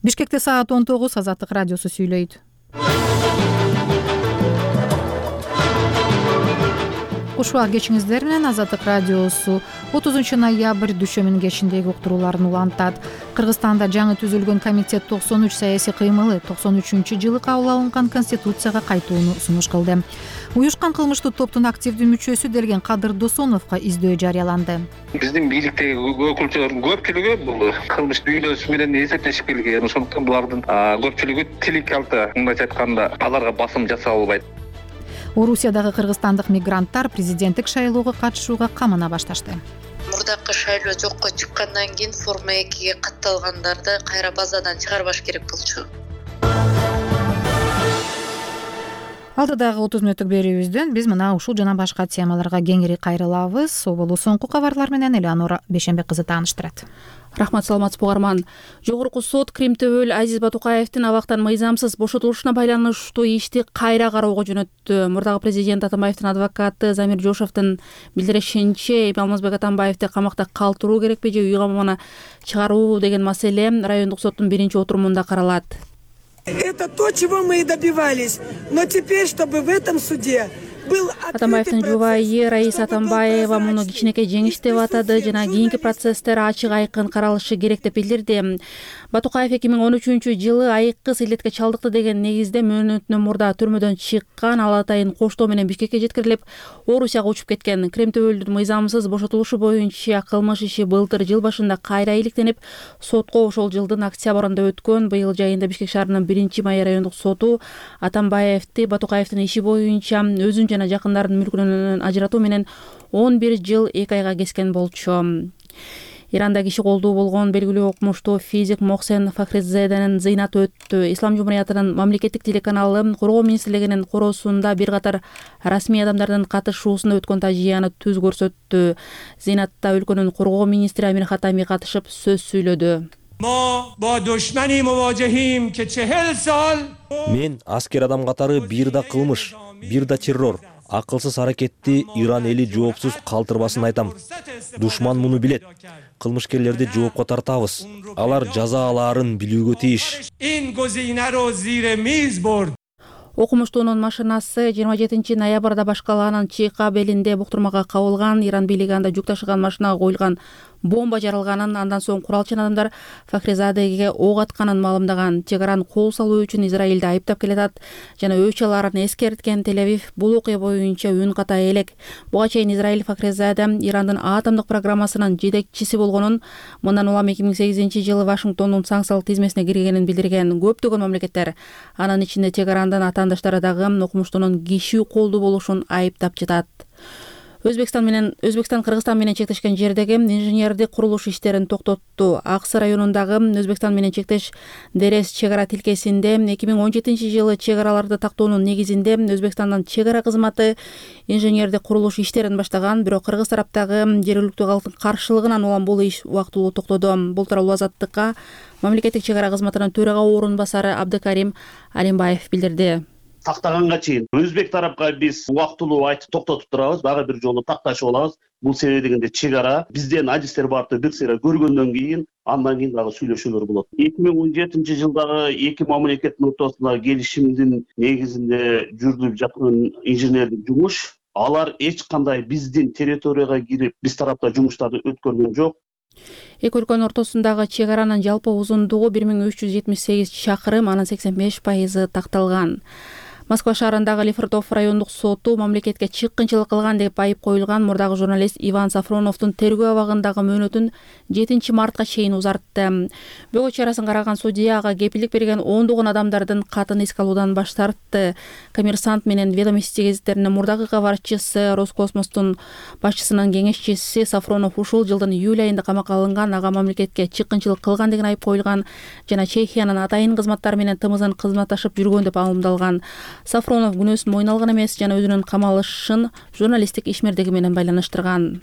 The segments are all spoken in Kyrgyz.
Бишкекте саат 19, Азаттык радиосу сүйлөйт. Куш убак кечиңиздер менен. Азаттык радиосу 30 ноябрь дүшөмүнүн кечиндеги уктурууларын улантат. Кыргызстанда жаңы түзүлгөн комитет 93 саясий кыймылы 93-жылы кабыл алынган конституцияга кайтууну сунуш кылды. Уюшкан кылмыштуу топтун активдүү мүчөсү Делген Кадыр Досоновго издөө жарыяланды. Биздин бийликтеги өкүлчүлөрдүн көпчүлүгү бул кылмыш дүйнөсү менен эсептешип келген. Ошондуктан булардын көпчүлүгү тилик алты, мындайча айтканда, аларга басым жасап албайт. Орусиядагы кыргызстандык мигранттар президенттик шайлоого катышууга камына башташты. Мурдакы шайлоо жокко чыккандан кийин форма 2-ге катталгандарды кайра базадан чыгарбаш керек болчу. Алдыдагы 30 мүнөттүк берүүбүздөн биз мына ушул жана башка темаларга кеңири кайрылабыз. Оболу соңку кабарлар менен Элеонора Бейшенбек кызы тааныштырат. Рахмат, саламатсызбы угарман. Жогорку сот Кримтөбөл Азиз Батукаевдин абактан мыйзамсыз бошотулушуна байланыштуу ишти кайра кароого жөнөттү. Мурдагы президент Атамбаевдин адвокаты Замир Жошовдун билдиришинче, Алмазбек Атамбаевди камакта калтыруу керекпи же үй камагына чыгаруу деген маселе райондук соттун биринчи отурумунда каралат. Это то, чего мы и добивались. Но теперь, чтобы в этом суде был Атамбаевдин жубайы Раиса Атамбаева муну кичинекей жеңиш деп атады жана кийинки процесстер ачык айкын каралышы керек деп билдирди. Батукаев 2013-жылы айыккыс илетке чалдыкты деген негизде мөөнөтүнөн мурда түрмөдөн чыккан. Ал атайын коштоо менен Бишкекке жеткирилип, Орусияга учуп кеткен. Кримтөбөлдүн мыйзамсыз бошотулушу боюнча кылмыш иши былтыр жыл башында кайра иликтенип, сотко ошол жылдын октябрында өткөн. Быйыл жайында Бишкек шаарынын 1-май райондук соту Атамбаевди Батукаевдин иши боюнча өзүн жана жакындарын мүлкүнөн ажыратуу менен 11 жыл 2 айга кескен болчу. Иранда киши колдуу болгон белгилүү окумуштуу физик Мохсен Фахризеденин зыйнаты өттү. Ислам жумуриятынын мамлекеттик телеканалы Коргоо министрлигинин короосунда бир катар расмий адамдардын катышуусунда өткөн тажыяны түз көрсөттү. Зыйнатта өлкөнүн коргоо министри Амир Хатами катышып сөз сүйлөдү. Мен аскер адам катары бир да кылмыш, бир да террор, акылсыз аракетти Иран эли жоопсуз калтырбасын айтам. Душман муну билет. Кылмышкерлерди жоопко тартабыз. Алар жаза алаарын билүүгө тийиш. Окумуштуунун машинасы 27 ноябрда башкалаанын Чийка белинде буктурмага кабылган. Иран бийлиги анда жүк ташыган машинага коюлган бомба жарылганын, андан соң куралчан адамдар Фахризадеге ок атканын маалымдаган. Чегараны кол салуу үчүн Израилди айыптап келатат жана өч аларын эскерткен. Тель-Авив бул окуя боюнча үн ката элек. Буга чейин Израиль Фахризаде Ирандын атомдук программасынын жетекчиси болгонун, мындан улам 2008-жылы Вашингтондун санкциялык тизмесине киргенин билдирген. Көптөгөн мамлекеттер, анын ичинде Чегарандын атаандаштары дагы окумуштунун киши колдуу болушун айыптап жатат. Өзбекстан Кыргызстан менен чектешкен жердеги инженердик курулуш иштерин токтотту. Аксы районундагы Өзбекстан менен чектеш Дерес чегара тилкесинде 2017-жылы чегараларды тактоонун негизинде Өзбекстандын чегара кызматы инженердик курулуш иштерин баштаган, бирок кыргыз тараптагы жергиликтүү калктын каршылыгынан улам бул иш убактылуу токтоду. Бул тууралуу Азаттыкка мамлекеттик чегара кызматынын төрага орун басары Абдыкарим Алимбаев билдирди. Тактаганга чейин өзбек тарапка биз убактылуу айтып токтотуп турабыз, дагы бир жолу такташып алабыз. Бул себеби дегенде чегара бизден адистер барды бир сыйра көргөндөн кийин, андан кийин дагы сүйлөшүүлөр болот. 2017-жылдагы эки мамлекеттин ортосундагы келишимдин негизинде жүрүлүп жаткан инженердик жумуш, алар эч кандай биздин территорияга кирип, биз тарапта жумуштарды өткөргөн жок. Эки өлкөнүн ортосундагы чегаранын жалпы узундугу 1378 чакырым, анын 85% такталган. Москва шаарындагы Лефортов райондук соту мамлекетке чыккынчылык кылган деп айып коюлган мурдагы журналист Иван Сафроновдун тергөө абагындагы мөөнөтүн 7 мартка чейин узартты. Бөгөө чарасын караган судья ага кепилдик берген ондогон адамдардын катын эске алуудан баш тартты. Коммерсант менен Ведомости гезиттеринин мурдагы кабарчысы, Роскосмостун башчысынын кеңешчиси Сафронов ушул жылдын июль айында камакка алынган, ага мамлекетке чыккынчылык кылган деген айып коюлган жана Чехиянын атайын кызматтары менен тымызын кызматташып жүргөн деп маалымдалган. Сафронов күнөөсүн мойнуна алган эмес жана өзүнүн камалышын журналисттик ишмердиги менен байланыштырган.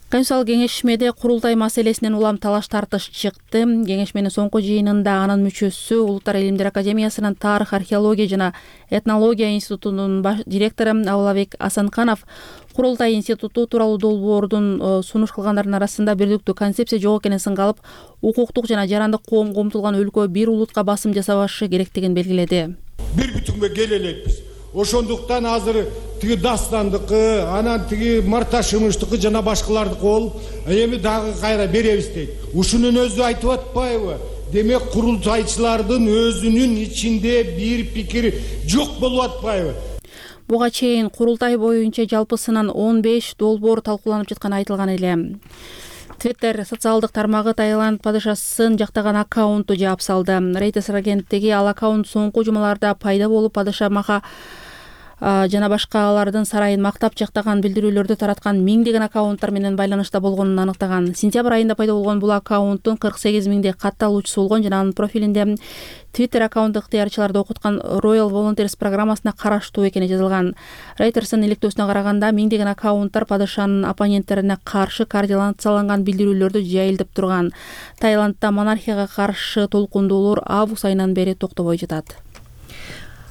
Конституциялык кеңешмеде курултай маселесинен улам талаш тартыш чыкты. Кеңешменин соңку жыйынында анын мүчөсү Улуттар илимдер академиясынын тарых, археология жана этнология институтунун директору Абылабек Асанканов курултай институту тууралуу долбоордун сунуш кылгандардын арасында бирдиктүү концепция жок экенин сынга алып, укуктук жана жарандык коомго умтулган өлкө бир улутка басым жасабашы керектигин белгиледи. Бир бүтүнгө келе элекпиз. Ошондуктан азыр тиги Дастандыкы, анан тиги Марташымыштыкы жана башкалардыкы болуп, эми дагы кайра беребиз дейт. Ушунун өзү айтып атпайбы? Демек курултайчылардын өзүнүн ичинде бир пикир жок болуп атпайбы? Буга чейин курултай боюнча жалпысынан 15 долбоор талкууланып жатканы айтылган эле. Twitter социалдык тармагы Таиланд падышасын жактаган аккаунту жаап салды. Reuters агенттиги ал аккаунт соңку жумаларда пайда болуп падыша Маха жана башкалардын сарайын мактап жактаган билдирүүлөрдү тараткан миңдеген аккаунттар менен байланышта болгонун аныктаган. Сентябрь айында пайда болгон бул аккаунттун 48 миңдей катталуучусу болгон жана анын профилинде Twitter аккаунт ыктыярчыларды окуткан Royal Volunteers программасына караштуу экени жазылган. Reuters'ын иликтөөсүнө караганда миңдеген аккаунттар падышанын оппоненттерине каршы координацияланган билдирүүлөрдү жайылтып турган. Таиландда монархияга каршы толкундоолор август айынан бери токтобой жатат.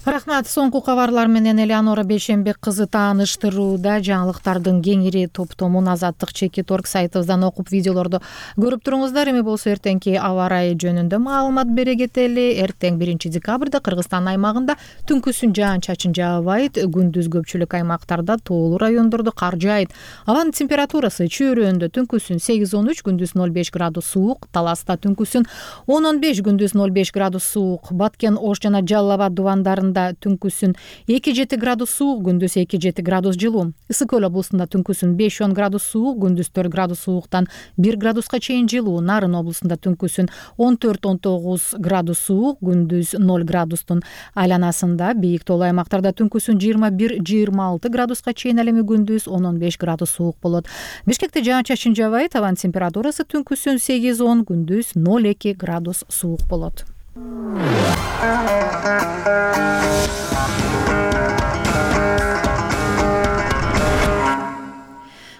Рахмат. Соңку кабарлар менен Элеонора Бейшембек кызы тааныштырууда. Жаңылыктардын кеңири топтомун Азаттык Чекит.org сайтыбыздан окуп, видеолорду көрүп туруңуздар. Эми болсо эртеңки аба ырайы жөнүндө маалымат бере кетели. Эртең 1 декабрда Кыргызстан аймагында түнкүсүн жаан-чачын жаабайт. Күндүз көпчүлүк аймактарда тоолуу райондордо кар жаайт. Абанын температурасы чөйрөндө түнкүсүн 8-13, күндүз 0,5 градус суук. Таласта түнкүсүн 10-15, күндүз 0,5 градус суук. Баткен, Ош жана Жалал Абад дубандарында түнкүсүн 2-7 градус суук, күндүз 2-7 градус жылуу. Ысык Көл облусунда түнкүсүн 5-10 градус суук, күндүз 4 градус сууктан 1 градуска чейин жылуу. Нарын облусунда түнкүсүн 14-19 градус суук, күндүз 0 градустун айланасында. Бийик тоолуу аймактарда түнкүсүн 21-26 градуска чейин, ал эми күндүз 10-15 градус суук болот. Бишкекте жаан-чачын жаабайт. Абанын температурасы түнкүсүн 8-10, күндүз 0,2 градус суук болот.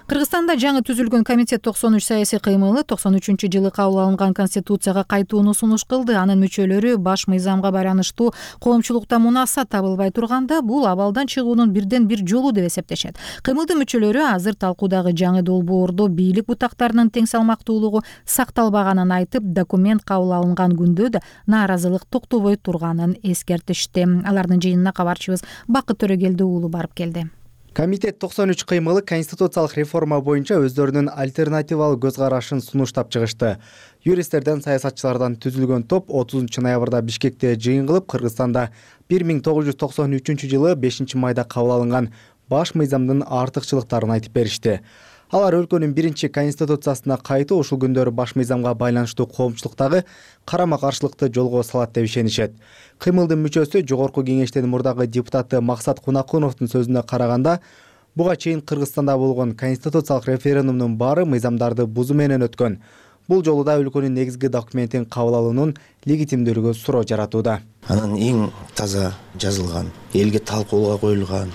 Кыргызстанда жаңы түзүлгөн комитет 93 саясий кыймылы 93-жылы кабыл алынган конституцияга кайтууну сунуш кылды. Анын мүчөлөрү баш мыйзамга байланыштуу коомчулукта мунасат табылбай турганда, бул абалдан чыгуунун бирден бир жолу деп эсептешет. Кыймылдын мүчөлөрү азыр талкуудагы жаңы долбоордо бийлик бутактарынын тең салмактуулугу сакталбаганын айтып, документ кабыл алынган күндө да нааразылык токтобой турганын эскертишти. Алардын жыйынына кабарчыбыз Бакыт Төрөгелди уулу барып келди. Комитет 93 кыймылы конституциялык реформа боюнча өздөрүнүн альтернативалык көз карашын сунуштап чыгышты. Юристтерден, саясатчылардан түзүлгөн топ 30 ноябрда Бишкекте жыйын кылып, Кыргызстанда 1993-жылы 5 майда кабыл алынган баш мыйзамдын артыкчылыктарын айтып беришти. Алар өлкөнүн биринчи конституциясына кайтуу ушул күндөрү баш мыйзамга байланыштуу коомчулуктагы карама-каршылыкты жолго салат деп ишенишет. Кыймылдын мүчөсү Жогорку Кеңештин мурдагы депутаты Максат Кунакуновдун сөзүнө караганда, буга чейин Кыргызстанда болгон конституциялык референдумдун баары мыйзамдарды бузуу менен өткөн. Бул жолу да өлкөнүн негизги документин кабыл алуунун легитимдүүлүгү суроо жаратууда. Анын эң таза жазылган, элге талкууга коюлган,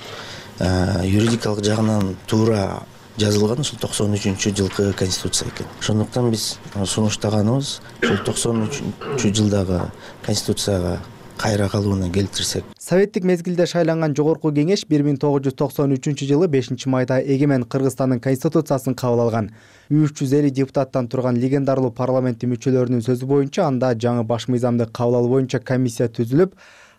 юридикалык жагынан туура жазылган ушул 93-жылкы конституция экен. Ошондуктан биз сунуштаганыбыз ушул 93-жылдагы конституцияга кайра калууна келтирсек. Советтик мезгилде шайланган Жогорку Кеңеш 1993-жылы 5 майда эгемен Кыргызстандын конституциясын кабыл алган. 350 депутаттан турган легендарлуу парламенттин мүчөлөрүнүн сөзү боюнча, анда жаңы баш мыйзамды кабыл алуу боюнча комиссия түзүлүп,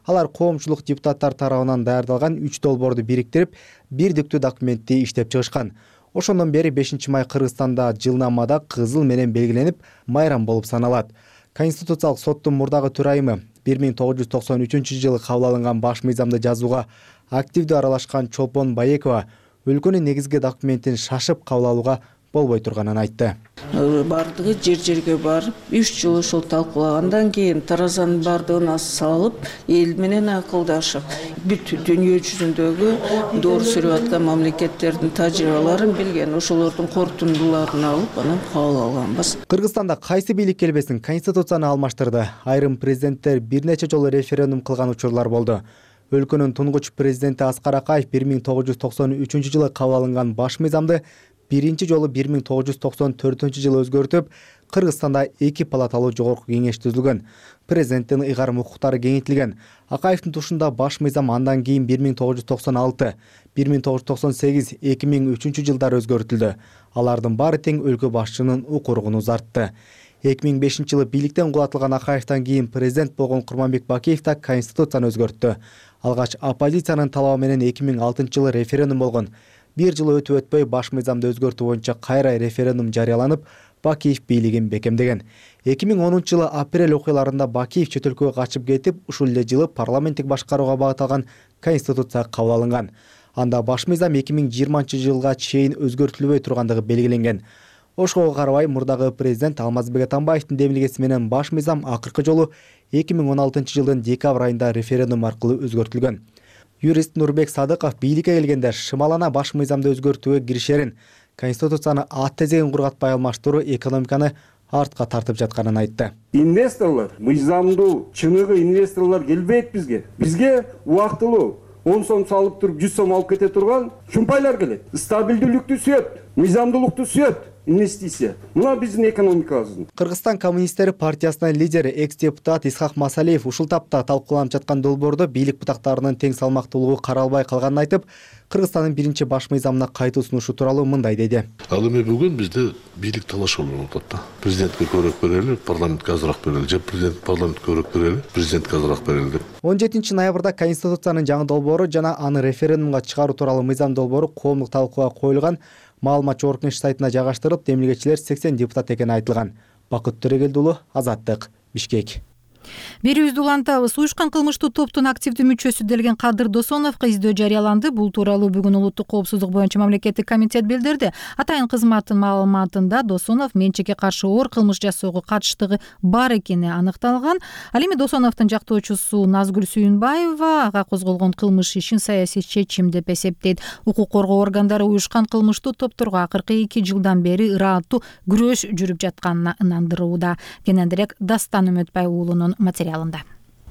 алар коомчулук депутаттар тарабынан даярдалган 3 долбоорду бириктирип, бирдиктүү документти иштеп чыгышкан. Ошондон бери 5 май Кыргызстанда жылнамада кызыл менен белгиленип, майрам болуп саналат. Конституциялык соттун мурдагы төрайымы 1993-жылы кабыл алынган баш мыйзамды жазууга активдүү аралашкан Чолпон Баекова өлкөнүн негизги документин шашып кабыл алууга болбой турганын айтты. Бардыгы жер-жерге барып, 3 жыл ошол талкуулагандан кийин таразанын бардыгына салып, эл менен акылдашып, бүт дүйнө жүзүндөгү доор сүрүп аткан мамлекеттердин тажрыйбаларын билген, ошолордун корутундуларын алып, анан кабыл алганбыз. Кыргызстанда кайсы бийлик келбесин конституцияны алмаштырды. Айрым президенттер бир нече жолу референдум кылган учурлар болду. Өлкөнүн тунгуч президенти Аскар Акаев 1993-жылы кабыл алынган баш мыйзамды биринчи жолу 1994-жылы өзгөртүп, Кыргызстанда 2 палаталуу жогорку кеңеш түзүлгөн. Президенттин ыйгарым укуктары кеңейтилген. Акаевдин тушунда баш мыйзам андан кийин 1996, 1998, 2003-жылдары өзгөртүлдү. Алардын баары тең өлкө башчынын укугун узартты. 2005-жылы бийликтен кулатылган Акаевден кийин президент болгон Курманбек Бакиев да конституцияны өзгөрттү. Алгач оппозициянын талабы менен 2006-жылы референдум болгон. Бир жыл өтүп өтпөй баш мыйзамды өзгөртүү боюнча кайра референдум жарыяланып, Бакиев бийлигин бекемдеген. 2010-жылы апрель окуяларында Бакиев чет өлкөгө качып кетип, ушул эле жылы парламенттик башкарууга багытталган конституция кабыл алынган. Анда баш мыйзам 2020-жылга чейин өзгөртүлбөй тургандыгы белгиленген. Ошого карабай мурдагы президент Алмазбек Атамбаевдин демилгеси менен баш мыйзам акыркы жолу 2016-жылдын декабрь айында референдум аркылуу өзгөртүлгөн. Юрист Нурбек Садыков бийликке келгенде шымалана баш мыйзамды өзгөртүүгө киришерин, конституцияны ат тезегин кургатпай алмаштыруу экономиканы артка тартып жатканын айтты. Инвесторлор, мыйзамдуу чыныгы инвесторлор келбейт бизге. Бизге убактылуу 10 сом салып туруп 100 сом алып кете турган шумпайлар келет. Стабилдүүлүктү сүйөт, мыйзамдуулукту сүйөт. Инвестиция. Мына биздин экономикабыздын. Кыргызстан коммунисттери партиясынын лидери экс-депутат Исхак Масалиев ушул тапта талкууланып жаткан долбоордо бийлик бутактарынын тең салмактуулугу каралбай калганын айтып, Кыргызстандын биринчи баш мыйзамына кайтуу сунушу тууралуу мындай деди. Ал эми бүгүн бизде бийлик талаш болуп атат да. Президентке көбүрөөк берели, парламентке азыраак берели, же президент парламентке көбүрөөк берели, президентке азыраак берели деп. 17-ноябрда Конституциянын жаңы долбоору жана аны референдумга чыгаруу тууралуу мыйзам долбоору коомдук талкууга коюлган. Маалымат жогорку кеңеш сайтына жайгаштырылып, демилгечилер 80 депутат экени айтылган. Бакыт Төрөгелдиулу, Азаттык, Бишкек. Берүүбүздү улантабыз. Уюшкан кылмыштуу топтун активдүү мүчөсү делген Кадыр Досоновго издөө жарыяланды. Бул тууралуу бүгүн улуттук коопсуздук боюнча мамлекеттик комитет билдирди. Атайын кызматтын маалыматында Досонов менчикке каршы оор кылмыш жасоого катыштыгы бар экени аныкталган. Ал эми Досоновдун жактоочусу Назгүл Сүйүнбаева ага козголгон кылмыш ишин саясий чечим деп эсептейт. Укук коргоо органдары уюшкан кылмыштуу топторго акыркы 2 жылдан бери ырааттуу күрөш жүрүп жатканына ынандырууда. Кененирээк Дастан Үмөтбай уулунун материалында.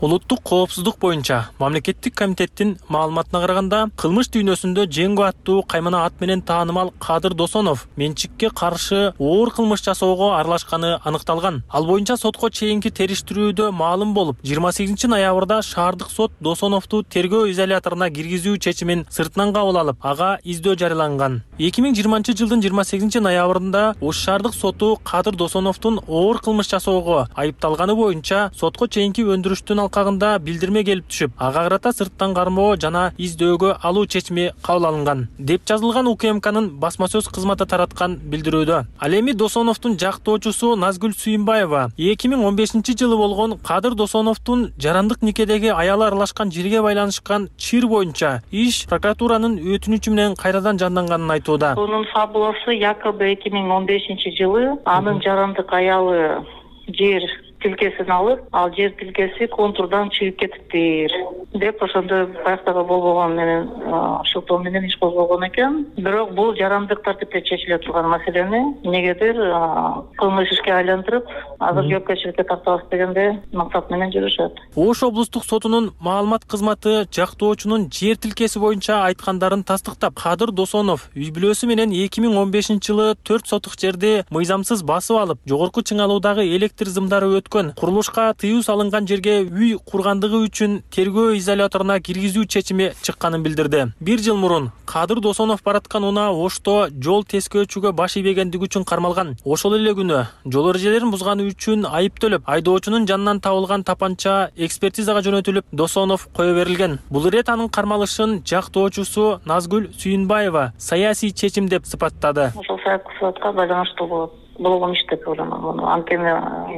Улуттук коопсуздук боюнча мамлекеттик комитеттин маалыматына караганда, кылмыш дүйнөсүндө Жеңго аттуу каймана ат менен таанымал Кадыр Досонов менчикке каршы оор кылмыш жасоого аралашканы аныкталган. Ал боюнча сотко чейинки териштирүүдө маалым болуп, 28 ноябрда шаардык сот Досоновду тергөө изоляторуна киргизүү чечимин сыртынан кабыл алып, ага издөө жарыяланган. 2020 жылдын 28 ноябрында Ош шаардык соту Кадыр Досоновдун оор кылмыш жасоого айыпталганы боюнча сотко чейинки өндүрүштүн алкагында билдирме келип түшүп, ага карата сырттан кармоо жана издөөгө алуу чечими кабыл алынган деп жазылган УКМКнын басма сөз кызматы тараткан билдирүүдө. Ал эми Досоновдун жактоочусу Назгүл Сүйүнбаева 2015 жылы болгон Кадыр Досоновдун жарандык никедеги аялы аралашкан жерге байланышкан чир боюнча иш прокуратуранын өтүнүчү менен кайрадан жанданганын айтууда. Бунун фабуласы якобы 2015 жылы анын жарандык аялы жер тилкесин алып, ал жер тилкеси контурдан чыгып кетиптир деп ошондой баяктагы болбогон менен шылтоо менен иш козголгон экен. Бирок бул жарандык тартипте чечиле турган маселени эмнегедир кылмыш ишке айлантырып, азыр жоопкерчиликке тартабыз дегенде максат менен жүрүшөт. Ош облустук сотунун маалымат кызматы жактоочунун жер тилкеси боюнча айткандарын тастыктап, Кадыр Досонов үй бүлөсү менен 2015 жылы 4 сотук жерди мыйзамсыз басып алып, жогорку чыңалуудагы электр зымдары курулушка тыюу салынган жерге үй кургандыгы үчүн тергөө изоляторуна киргизүү чечими чыкканын билдирди. 1 жыл мурун Кадыр Досонов бараткан унаа Ошто жол тескөөчүгө баш ийбегендиги үчүн кармалган. Ошол эле күнү жол эрежелерин бузганы үчүн айыптөлүп, айдоочунун жанынан табылган тапанча экспертизага жөнөтүлүп, Досонов кое берилген. Бул ирет анын кармалышын жактоочусу Назгүл Сүйүнбаева саясий чечим деп сыпаттады. Ошол саясатка байланыштуу болот. Болгон иш деп ойлойм. Анткени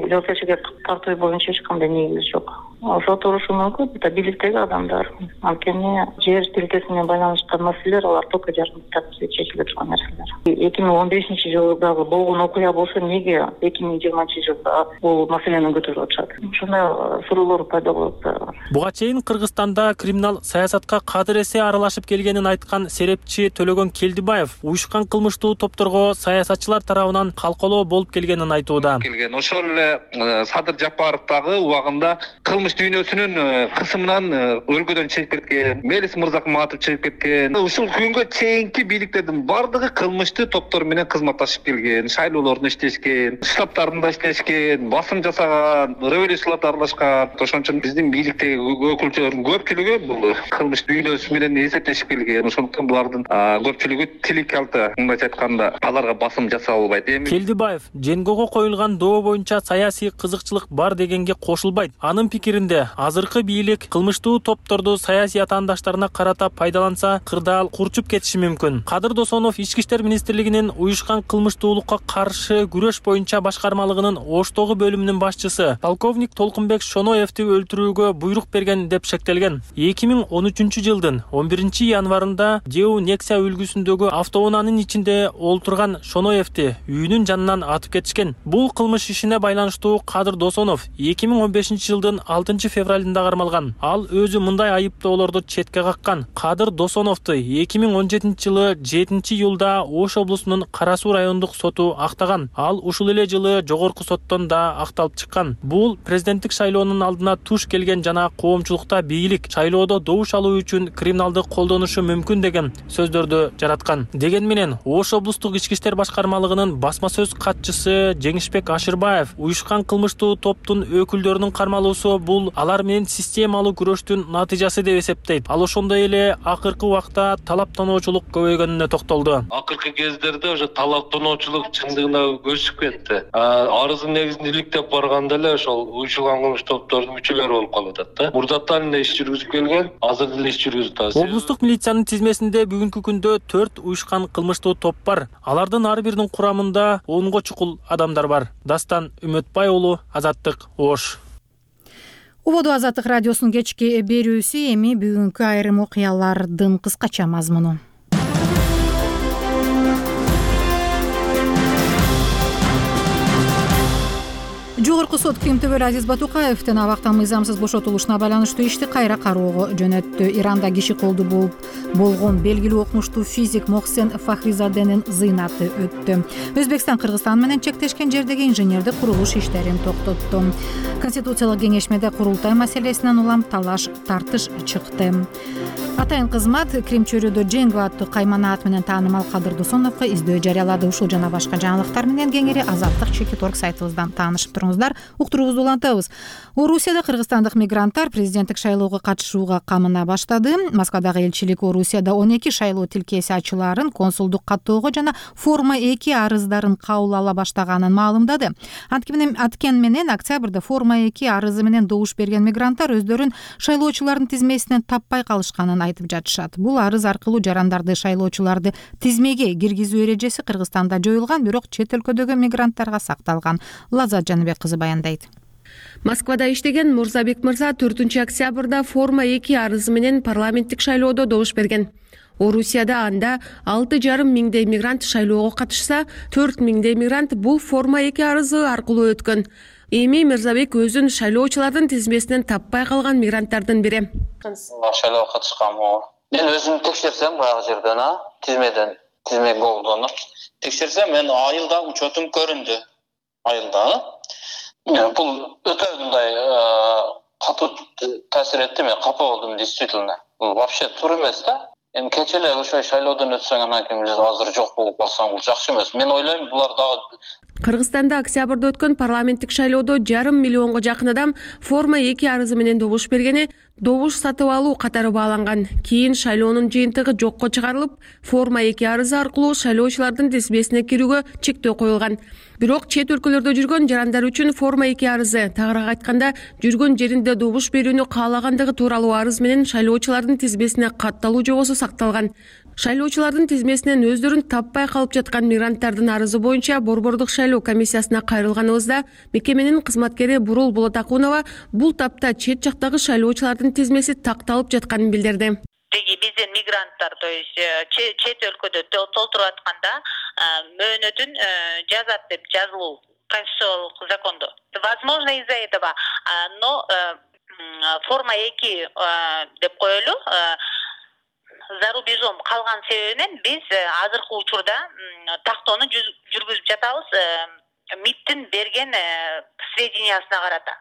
жоопкерчиликке тартуу боюнча эч кандай негиз жок. Ошо турушу мүмкүн, бийликтеги адамдар. Анткени жер тилкесине байланышкан маселелер алар только жарандык тартипте чечиле турган нерселер. 2015 жылдагы болгон окуя болсо эмнеге 2020 жылда бул маселени көтөрүп атышат? Ушундай суроолор пайда болот. Буга чейин Кыргызстанда криминал саясатка кадыр эсе аралашып келгенин айткан серепчи Төлөгөн Келдибаев уюшкан кылмыштуу топторго саясатчылар тарабынан калкалоо болуп келгенин айтууда. Ошол эле Садыр Жапаровдагы убагында кылмыш кылмыш дүйнөсүнүн кысымынан өлкөдөн чыгып кеткен, Мелис Мырзакматов чыгып кеткен. Ушул күнгө чейинки бийликтердин бардыгы кылмыштуу топтор менен кызматташып келген, шайлоолордун иштешкен, штабтарында иштешкен, басым жасаган, революцияларда аралашкан. Ошон үчүн биздин бийликтеги өкүлчүлөрдүн көпчүлүгү бул кылмыш дүйнөсү менен эсептешип келген. Ошондуктан булардын көпчүлүгү тилик алты, мындайча айтканда, аларга басым жасап албайт. Келдибаев Женгого коюлган доо боюнча саясий кызыкчылык бар дегенге кошулбайт. Анын пикиринде азыркы бийлик кылмыштуу топторду саясий атаандаштарына карата пайдаланса, кырдаал курчуп кетиши мүмкүн. Кадыр Досонов Ички иштер министрлигинин уюшкан кылмыштуулукка каршы күрөш боюнча башкармалыгынын Оштогу бөлүмүнүн башчысы полковник Толкунбек Шоноевди өлтүрүүгө буйрук берген деп шектелген. 2013 жылдын 11 январында Деу Нексия үлгүсүндөгү автоунаанын ичинде олтурган Шоноевди үйүнүн жанынан атып кетишкен. Бул кылмыш ишине байланыштуу Кадыр Досонов 2015 жылдын 6 февралында кармалган. Ал өзү мындай айыптоолорду четке каккан. Кадыр Досоновду 2017 жылы 7 июлда Ош облусунун Кара Суу райондук соту актаган. Ал ушул эле жылы жогорку соттон да акталып чыккан. Бул президенттик шайлоонун алдына туш келген жана коомчулукта бийлик шайлоодо добуш алуу үчүн криминалды колдонушу мүмкүн деген сөздөрдү жараткан. Деген менен Ош облустук ички иштер башкармалыгынын басма сөз катчысы Жеңишбек Ашырбаев уюшкан кылмыштуу топтун өкүлдөрүнүн кармалуусу бул алар менен системалуу күрөштүн натыйжасы деп эсептейт. Ал ошондой эле акыркы убакта талаптаноочулук көбөйгөнүнө токтолду. Акыркы кездерде уже талаптаноочулук чындыгына көчүп кетти. Арыздын негизин иликтеп барганда эле ошол уюшулган кылмыш топтордун мүчөлөрү болуп калып атат да. Мурдаттан эле иш жүргүзүп келген, азыр деле иш жүргүзүп атат. Облустук милициянын тизмесинде бүгүнкү күндө 4 уюшкан кылмыштуу топ бар. Алардын ар биринин курамында 10го чукул адамдар бар. Дастан Үмөтбай уулу, Азаттык, Ош. Убоду Азаттык радиосунун кечки берүүсү, эми бүгүнкү айрым окуялардын кыскача мазмуну. Жогорку сот Крим төбөлү Азиз Батукаевдин абактан мыйзамсыз бошотулушуна байланыштуу ишти кайра кароого жөнөттү. Иранда киши колду болгон белгилүү окумуштуу физик Мохсен Фахризаденин зыйнаты өттү. Өзбекстан Кыргызстан менен чектешкен жердеги инженердик курулуш иштерин токтотту. Конституциялык кеңешмеде курултай маселесинен улам тартыш чыкты. Атайын кызмат Крим чөйрөдө Женго аттуу каймана ат менен таанымал Кадыр Досоновго издөө жарыялады. Ушул жана башка жаңылыктар менен кеңири Азаттык.org сайтыбыздан таанышып туруңуздар. Уктуруубузду улантабыз. Орусияда кыргызстандык мигранттар президенттик шайлоого катышууга камына баштады. Москвадагы элчилик Орусияда 12 шайлоо тилкеси ачылаарын, консулдук каттоого жана форма 2 арыздарын кабыл ала баштаганын маалымдады. Анткени менен октябрда форма 2 арызы менен добуш берген мигранттар өздөрүн шайлоочулардын тизмесинен таппай калышканын айтып жатышат. Бул арыз аркылуу жарандарды шайлоочуларды тизмеге киргизүү эрежеси Кыргызстанда жоюлган, бирок чет өлкөдөгү мигранттарга сакталган. Лазат Жаныбек кызы баяндайт. Москвада иштеген Мурзабек мырза 4 октябрда форма 2 арызы менен парламенттик шайлоодо добуш берген. Орусияда анда 6,5 миңдей мигрант шайлоого катышса, 4 миңдей мигрант бул форма 2 арызы аркылуу өткөн. Эми Мырзабек өзүн шайлоочулардын тизмесинен таппай калган мигранттардын бири. Шайлоого катышканмын. Мен өзүм текшерсем баягы жерден, тизме голдону текшерсем, мен айылда учетум көрүндү. Айылда. Бул өтө мындай катуу таасир этти, мен капа болдум действительно. Бул вообще туура эмес да. Эми кече эле ошо шайлоодон өтсөң, анан кийин азыр жок болуп калсаң, бул жакшы эмес. Мен ойлойм, булар дагы Кыргызстанда октябрда өткөн парламенттик шайлоодо 5,5 миллионго жакын адам форма 2 арызы менен добуш бергени добуш сатып алуу катары бааланган. Кийин шайлоонун жыйынтыгы жокко чыгарылып, форма 2 арызы аркылуу шайлоочулардын тизмесине кирүүгө чектөө коюлган. Бирок чет өлкөлөрдө жүргөн жарандар үчүн форма 2 арызы, тагыраак айтканда, жүргөн жеринде добуш берүүнү каалагандыгы тууралуу арыз менен шайлоочулардын тизмесине катталуу жобосу сакталган. Шайлоочулардын тизмесинен өздөрүн таппай калып жаткан мигранттардын арызы боюнча Борбордук шайлоо комиссиясына кайрылганыбызда мекеменин кызматкери Бурул Болотакунова бул тапта чет жактагы шайлоочулардын тизмеси такталып жатканын билдирди. Биздин мигранттар, то есть чет өлкөдө толтуруп атканда мөөнөтүн жазат деп жазылуу конституциялык закондо. Возможно, из-за этого, но форма 2 деп коелу. За рубежом калган себебинен биз азыркы учурда тактоону жүргүзүп жатабыз МИДтин берген сведениясына карата.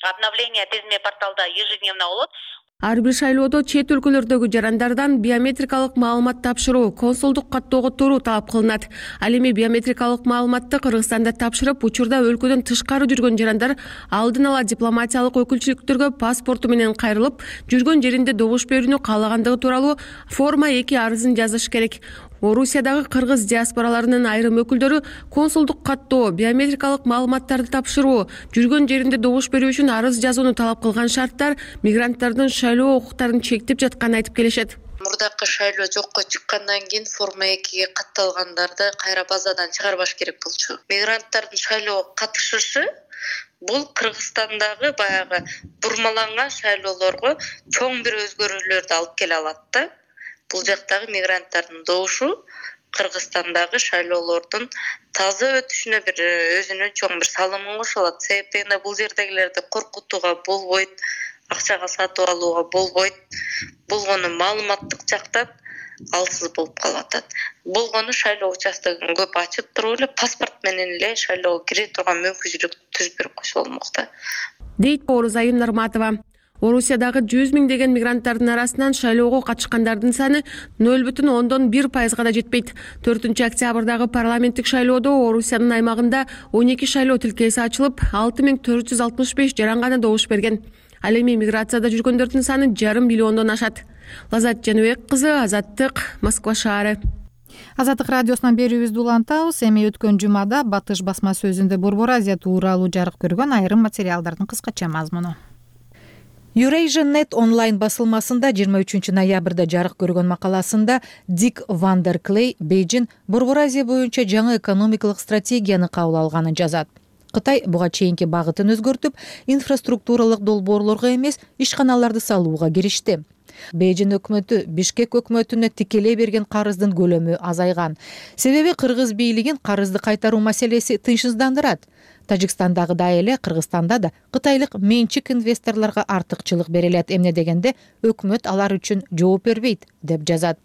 обновление тизме порталда ежедневно болот. Ар бир шайлоодо чет өлкөлөрдөгү жарандардан биометрикалык маалымат тапшыруу, консулдук каттоого туруу талап кылынат. Ал эми биометрикалык маалыматты Кыргызстанда тапшырып, учурда өлкөдөн тышкары жүргөн жарандар алдын ала дипломатиялык өкүлчүлүктөргө паспорту менен кайрылып, жүргөн жеринде добуш берүүнү каалагандыгы тууралуу форма 2 арызын жазыш керек. Орусиядагы кыргыз диаспораларынын айрым өкүлдөрү консулдук каттоо, биометрикалык маалыматтарды тапшыруу, жүргөн жеринде добуш берүү үчүн арыз жазууну талап кылган шарттар мигранттардын шайлоо укуктарын чектеп жатканын айтып келишет. Мурдакы шайлоо жокко чыккандан кийин форма 2-ге катталгандарды кайра базадан чыгарбаш керек болчу. Мигранттардын шайлоого катышышы бул Кыргызстандагы баягы бурмаланган шайлоолорго чоң бир өзгөрүүлөрдү алып келе алат да. Бул жактагы мигранттардын добушу Кыргызстандагы шайлоолордун таза өтүшүнө бир өзүнүн чоң бир салымын кошо алат. Себеби бул жердегилерди коркутууга болбойт, акчага сатып алууга болбойт. Болгону маалыматтык жактан алсыз болуп калат. Болгону шайлоо участогун көп ачып туруп эле паспорт менен эле шайлоого кире турган мүмкүнчүлүк түзүп берип койсо болмок да. Дейт Орузайым Нарматова. Орусиядагы 100 миңдеген мигранттардын арасынан шайлоого катышкандардын саны 0,1% да жетпейт. 4 октябрдагы парламенттик шайлоодо Орусиянын аймагында 12 шайлоо тилкеси ачылып, 6465 жаран гана добуш берген. Ал эми миграцияда жүргөндөрдүн саны 5,5 миллиондон ашат. Лазат Жаныбек кызы, Азаттык, Москва шаары. Азаттык радиосунан берүүбүздү улантабыз. Эми өткөн жумада Батыш басма сөзүндө Борбор Азия тууралуу жарык көргөн айрым материалдардын кыскача мазмуну. Eurasia.net онлайн басылмасында 23 ноябрда жарык көргөн макаласында Дик Вандер Клей Бейжин Борбор Азия боюнча жаңы экономикалык стратегияны кабыл алганын жазат. Кытай буга чейинки багытын өзгөртүп, инфраструктуралык долбоорлорго эмес, ишканаларды салууга киришти. Бейжин өкмөтү Бишкек өкмөтүнө тикелей берген карыздын көлөмү азайган. Себеби кыргыз бийлигин карызды кайтаруу маселеси тынчсыздандырат. Тажикстандагыдай эле Кыргызстанда да кытайлык менчик инвесторлорго артыкчылык берилет. Эмне дегенде өкмөт алар үчүн жооп бербейт, деп жазат.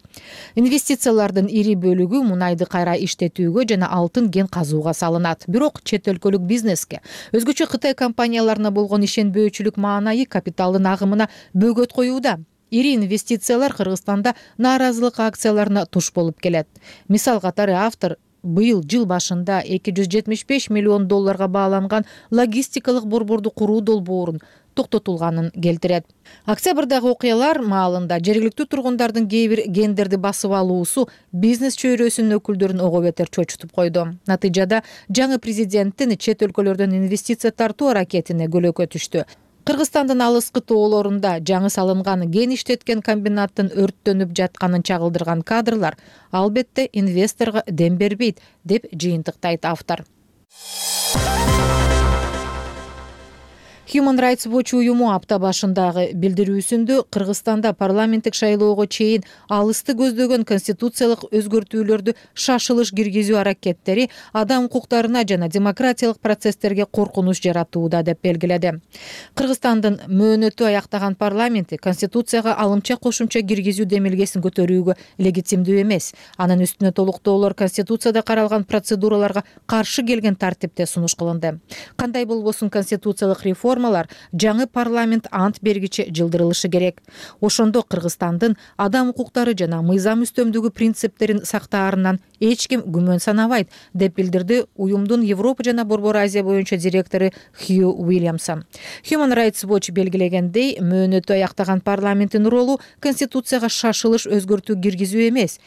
Инвестициялардын ири бөлүгү мунайды кайра иштетүүгө жана алтын кен казууга салынат. Бирок чет өлкөлүк бизнеске, өзгөчө Кытай компанияларына болгон ишенбөөчүлүк маанайы капиталдын агымына бөгөт коюуда. Ири инвестициялар Кыргызстанда нааразылык акцияларына туш болуп келет. Мисал катары автор быйыл жыл башында $275 миллион бааланган логистикалык борборду куруу долбоорун токтотулганын келтирет. Октябрдагы окуялар маалында жергиликтүү тургундардын кээ бир гендерди басып алуусу бизнес чөйрөсүнүн өкүлдөрүн ого бетер чочутуп койду. Натыйжада жаңы президенттин чет өлкөлөрдөн инвестиция тартуу аракетине көлөкө түштү. Кыргызстандын алыскы тоолорунда жаңы салынган кен иштеткен комбинаттын өрттөнүп жатканын чагылдырган кадрлар албетте инвесторго дем бербейт, деп жыйынтыктайт автор. Human Rights Watch уюму апта башындагы билдирүүсүндө Кыргызстанда парламенттик шайлоого чейин алысты көздөгөн конституциялык өзгөртүүлөрдү шашылыш киргизүү аракеттери адам укуктарына жана демократиялык процесстерге коркунуч жаратууда, деп белгиледи. Кыргызстандын мөөнөтү аяктаган парламенти конституцияга алымча кошумча киргизүү демилгесин көтөрүүгө легитимдүү эмес. Анын үстүнө толуктоолор конституцияда каралган процедураларга каршы келген тартипте сунуш кылынды. Кандай болбосун конституциялык реформалар жаңы парламент ант бергиче жылдырылышы керек. Ошондо Кыргызстандын адам укуктары жана мыйзам үстөмдүгү принциптерин сактаарынан эч ким күмөн санабайт, деп билдирди уюмдун Европа жана Борбор Азия боюнча директору Хью Уильямсон. Human Rights Watch белгилегендей, мөөнөтү аяктаган парламенттин ролу конституцияга шашылыш өзгөртүү киргизүү эмес.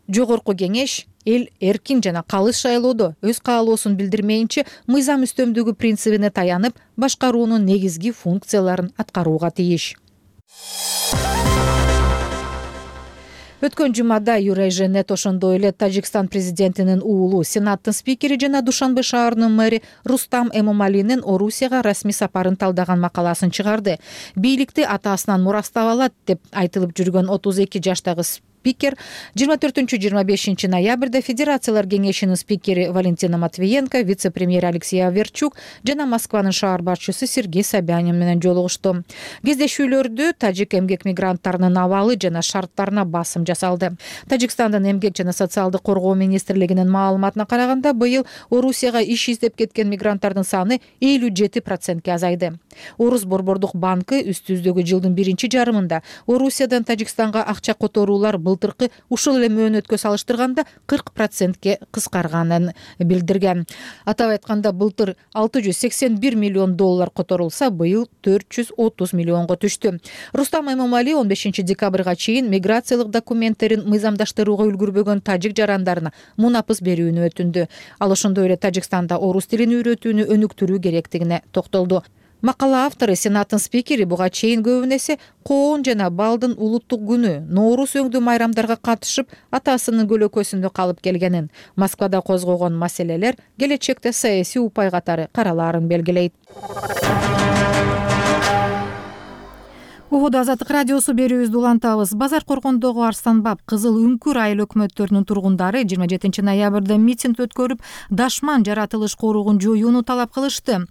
Жогорку кеңеш эл эркин жана калыс шайлоодо өз каалоосун билдирмейинче мыйзам үстөмдүгү принцибине таянып, башкаруунун негизги функцияларын аткарууга тийиш. Өткөн жумада Eurasia.net ошондой эле Тажикстан президентинин уулу, Сенаттын спикери жана Душанбе шаарынын мэри Рустам Эмомалинин Орусияга расмий сапарын талдаган макаласын чыгарды. Бийликти атасынан мурастап алат деп айтылып жүргөн 32 жаштагы спикер, 24-25 ноябрда Федерациялар кеңешинин спикери Валентина Матвиенко, вице-премьер Алексей Аверчук жана Москванын шаар башчысы Сергей Собянин менен жолугушту. Кездешүүлөрдө тажик эмгек мигранттарынын абалы жана шарттарына басым жасалды. Тажикстандын эмгек жана социалдык коргоо министрлигинин маалыматына караганда, быйыл Орусияга иш издеп кеткен мигранттардын саны 57%ке азайды. Орус борбордук банкы үстүбүздөгү жылдын биринчи жарымында Орусиядан Тажикстанга акча которуулар былтыркы ушул эле мөөнөткө салыштырганда 40%ке кыскарганын билдирген. Атап айтканда, былтыр $681 миллион которулса, быйыл 430 миллионго түштү. Рустам Эмомали 15 декабрга чейин миграциялык документтерин мыйзамдаштырууга үлгүрбөгөн тажик жарандарына мунапыс берүүнү өтүндү. Ал ошондой эле Тажикстанда орус тилин үйрөтүүнү өнүктүрүү керектигине токтолду. Макала автору Сенаттын спикери буга чейин көбүн эсе коон жана балдын улуттук күнү Ноорус өңдүү майрамдарга катышып, атасынын көлөкөсүндө калып келгенин, Москвада козгогон маселелер келечекте саясий упай катары каралаарын белгилейт. Угуду Азаттык радиосу берүүбүздү улантабыз. Базар Коргондогу Арстанбап, Кызыл Үңкүр айыл өкмөттөрүнүн тургундары 27 ноябрда митинг өткөрүп, дашман жаратылыш коругун жоюуну талап кылышты.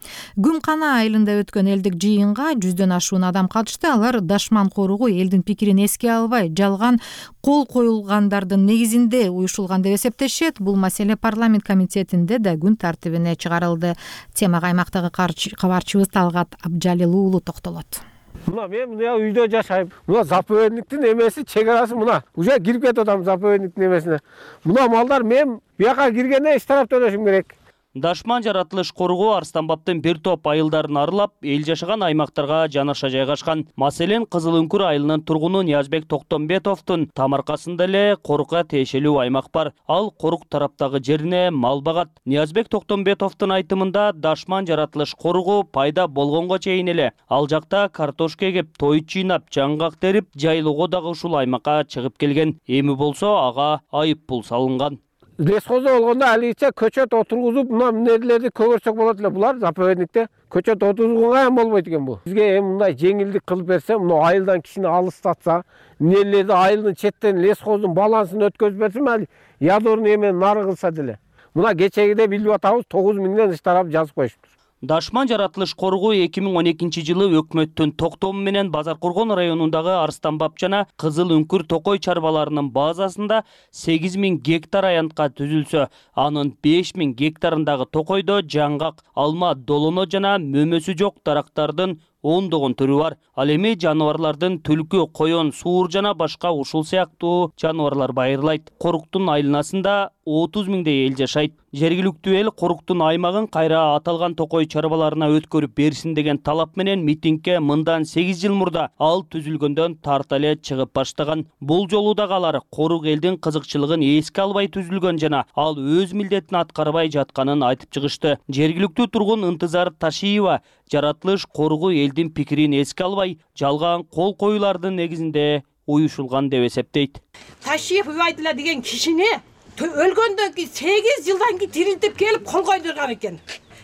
Гүмкана айылында өткөн элдик жыйынга 100дөн ашуун адам катышты. Алар дашман коругу элдин пикирин эске албай, жалган кол коюлгандардын негизинде уюшулган деп эсептешет. Бул маселе парламент комитетинде да күн тартибине чыгарылды. Темага аймактагы кабарчыбыз Талгат Абжалил уулу токтолот. Мына мен мына үйдө жашайм. Мына заповедниктин эмеси, чек арасы мына. Уже кирип кетип атам заповедниктин эмесине. Мына малдар мен буяка киргенде эч тараптан өтүшүм керек. Дашман жаратылыш коругу Арстанбаптын бир топ айылдарын арылап, эл жашаган аймактарга жанаша жайгашкан. Маселен, Кызыл Үңкүр айылынын тургуну Ниязбек Токтомбетовдун тамаркасында эле корукка тиешелүү аймак бар. Ал корук тараптагы жерине мал багат. Ниязбек Токтомбетовдун айтымында, дашман жаратылыш коругу пайда болгонго чейин эле ал жакта картошка эгип, той чыйнап, жаңгак терип, жайлоого дагы ушул аймакка чыгып келген. Эми болсо ага айып пул салынган. Лесхозо болгондо аличе көчөт отургузуп, мына эмнелерди көгөрсөк болот эле. Булар заповедникте көчөт отургузганга эми болбойт экен бу. Бизге эми мындай жеңилдик кылып берсе, мына айылдан кишини алыстатса, эмнелерди айылдын четтен лесхоздун балансын өткөзүп берсе, мали ядорный эмени нары кылса деле. Мына кечегиде билип атабыз 9 миңден ыш тарап жазып коюштур. Дашман жаратылыш коругу 2012 жылы өкмөттүн токтому менен Базар Коргон районундагы Арстанбап жана Кызыл Үңкүр токой чарбаларынын базасында 8000 гектар аянтка түзүлсө, анын 5000 гектарындагы токойдо жаңгак, алма, долоно жана мөмөсү жок дарактардын ондогон түрү бар. Ал эми жаныбарлардын түлкү, коён, суур жана башка ушул сыяктуу жаныбарлар байырлайт. Коруктун айланасында 30 миңдей эл жашайт. Жергиликтүү эл коруктун аймагын кайра аталган токой чарбаларына өткөрүп берсин деген талап менен митингге мындан 8 жыл мурда ал түзүлгөндөн тарта эле чыгып баштаган. Бул жолу дагы алар корук элдин кызыкчылыгын эске албай түзүлгөн жана ал өз милдетин аткарбай жатканын айтып чыгышты. Жергиликтүү тургун Ынтызар Ташиева жаратылыш коругу элдин пикирин эске албай, жалган кол коюлардын негизинде уюшулган деп эсептейт. Ташиев Убайдулла деген кишини өлгөндөн кийин 8 жылдан кийин тирилтип келип кол койдурган экен.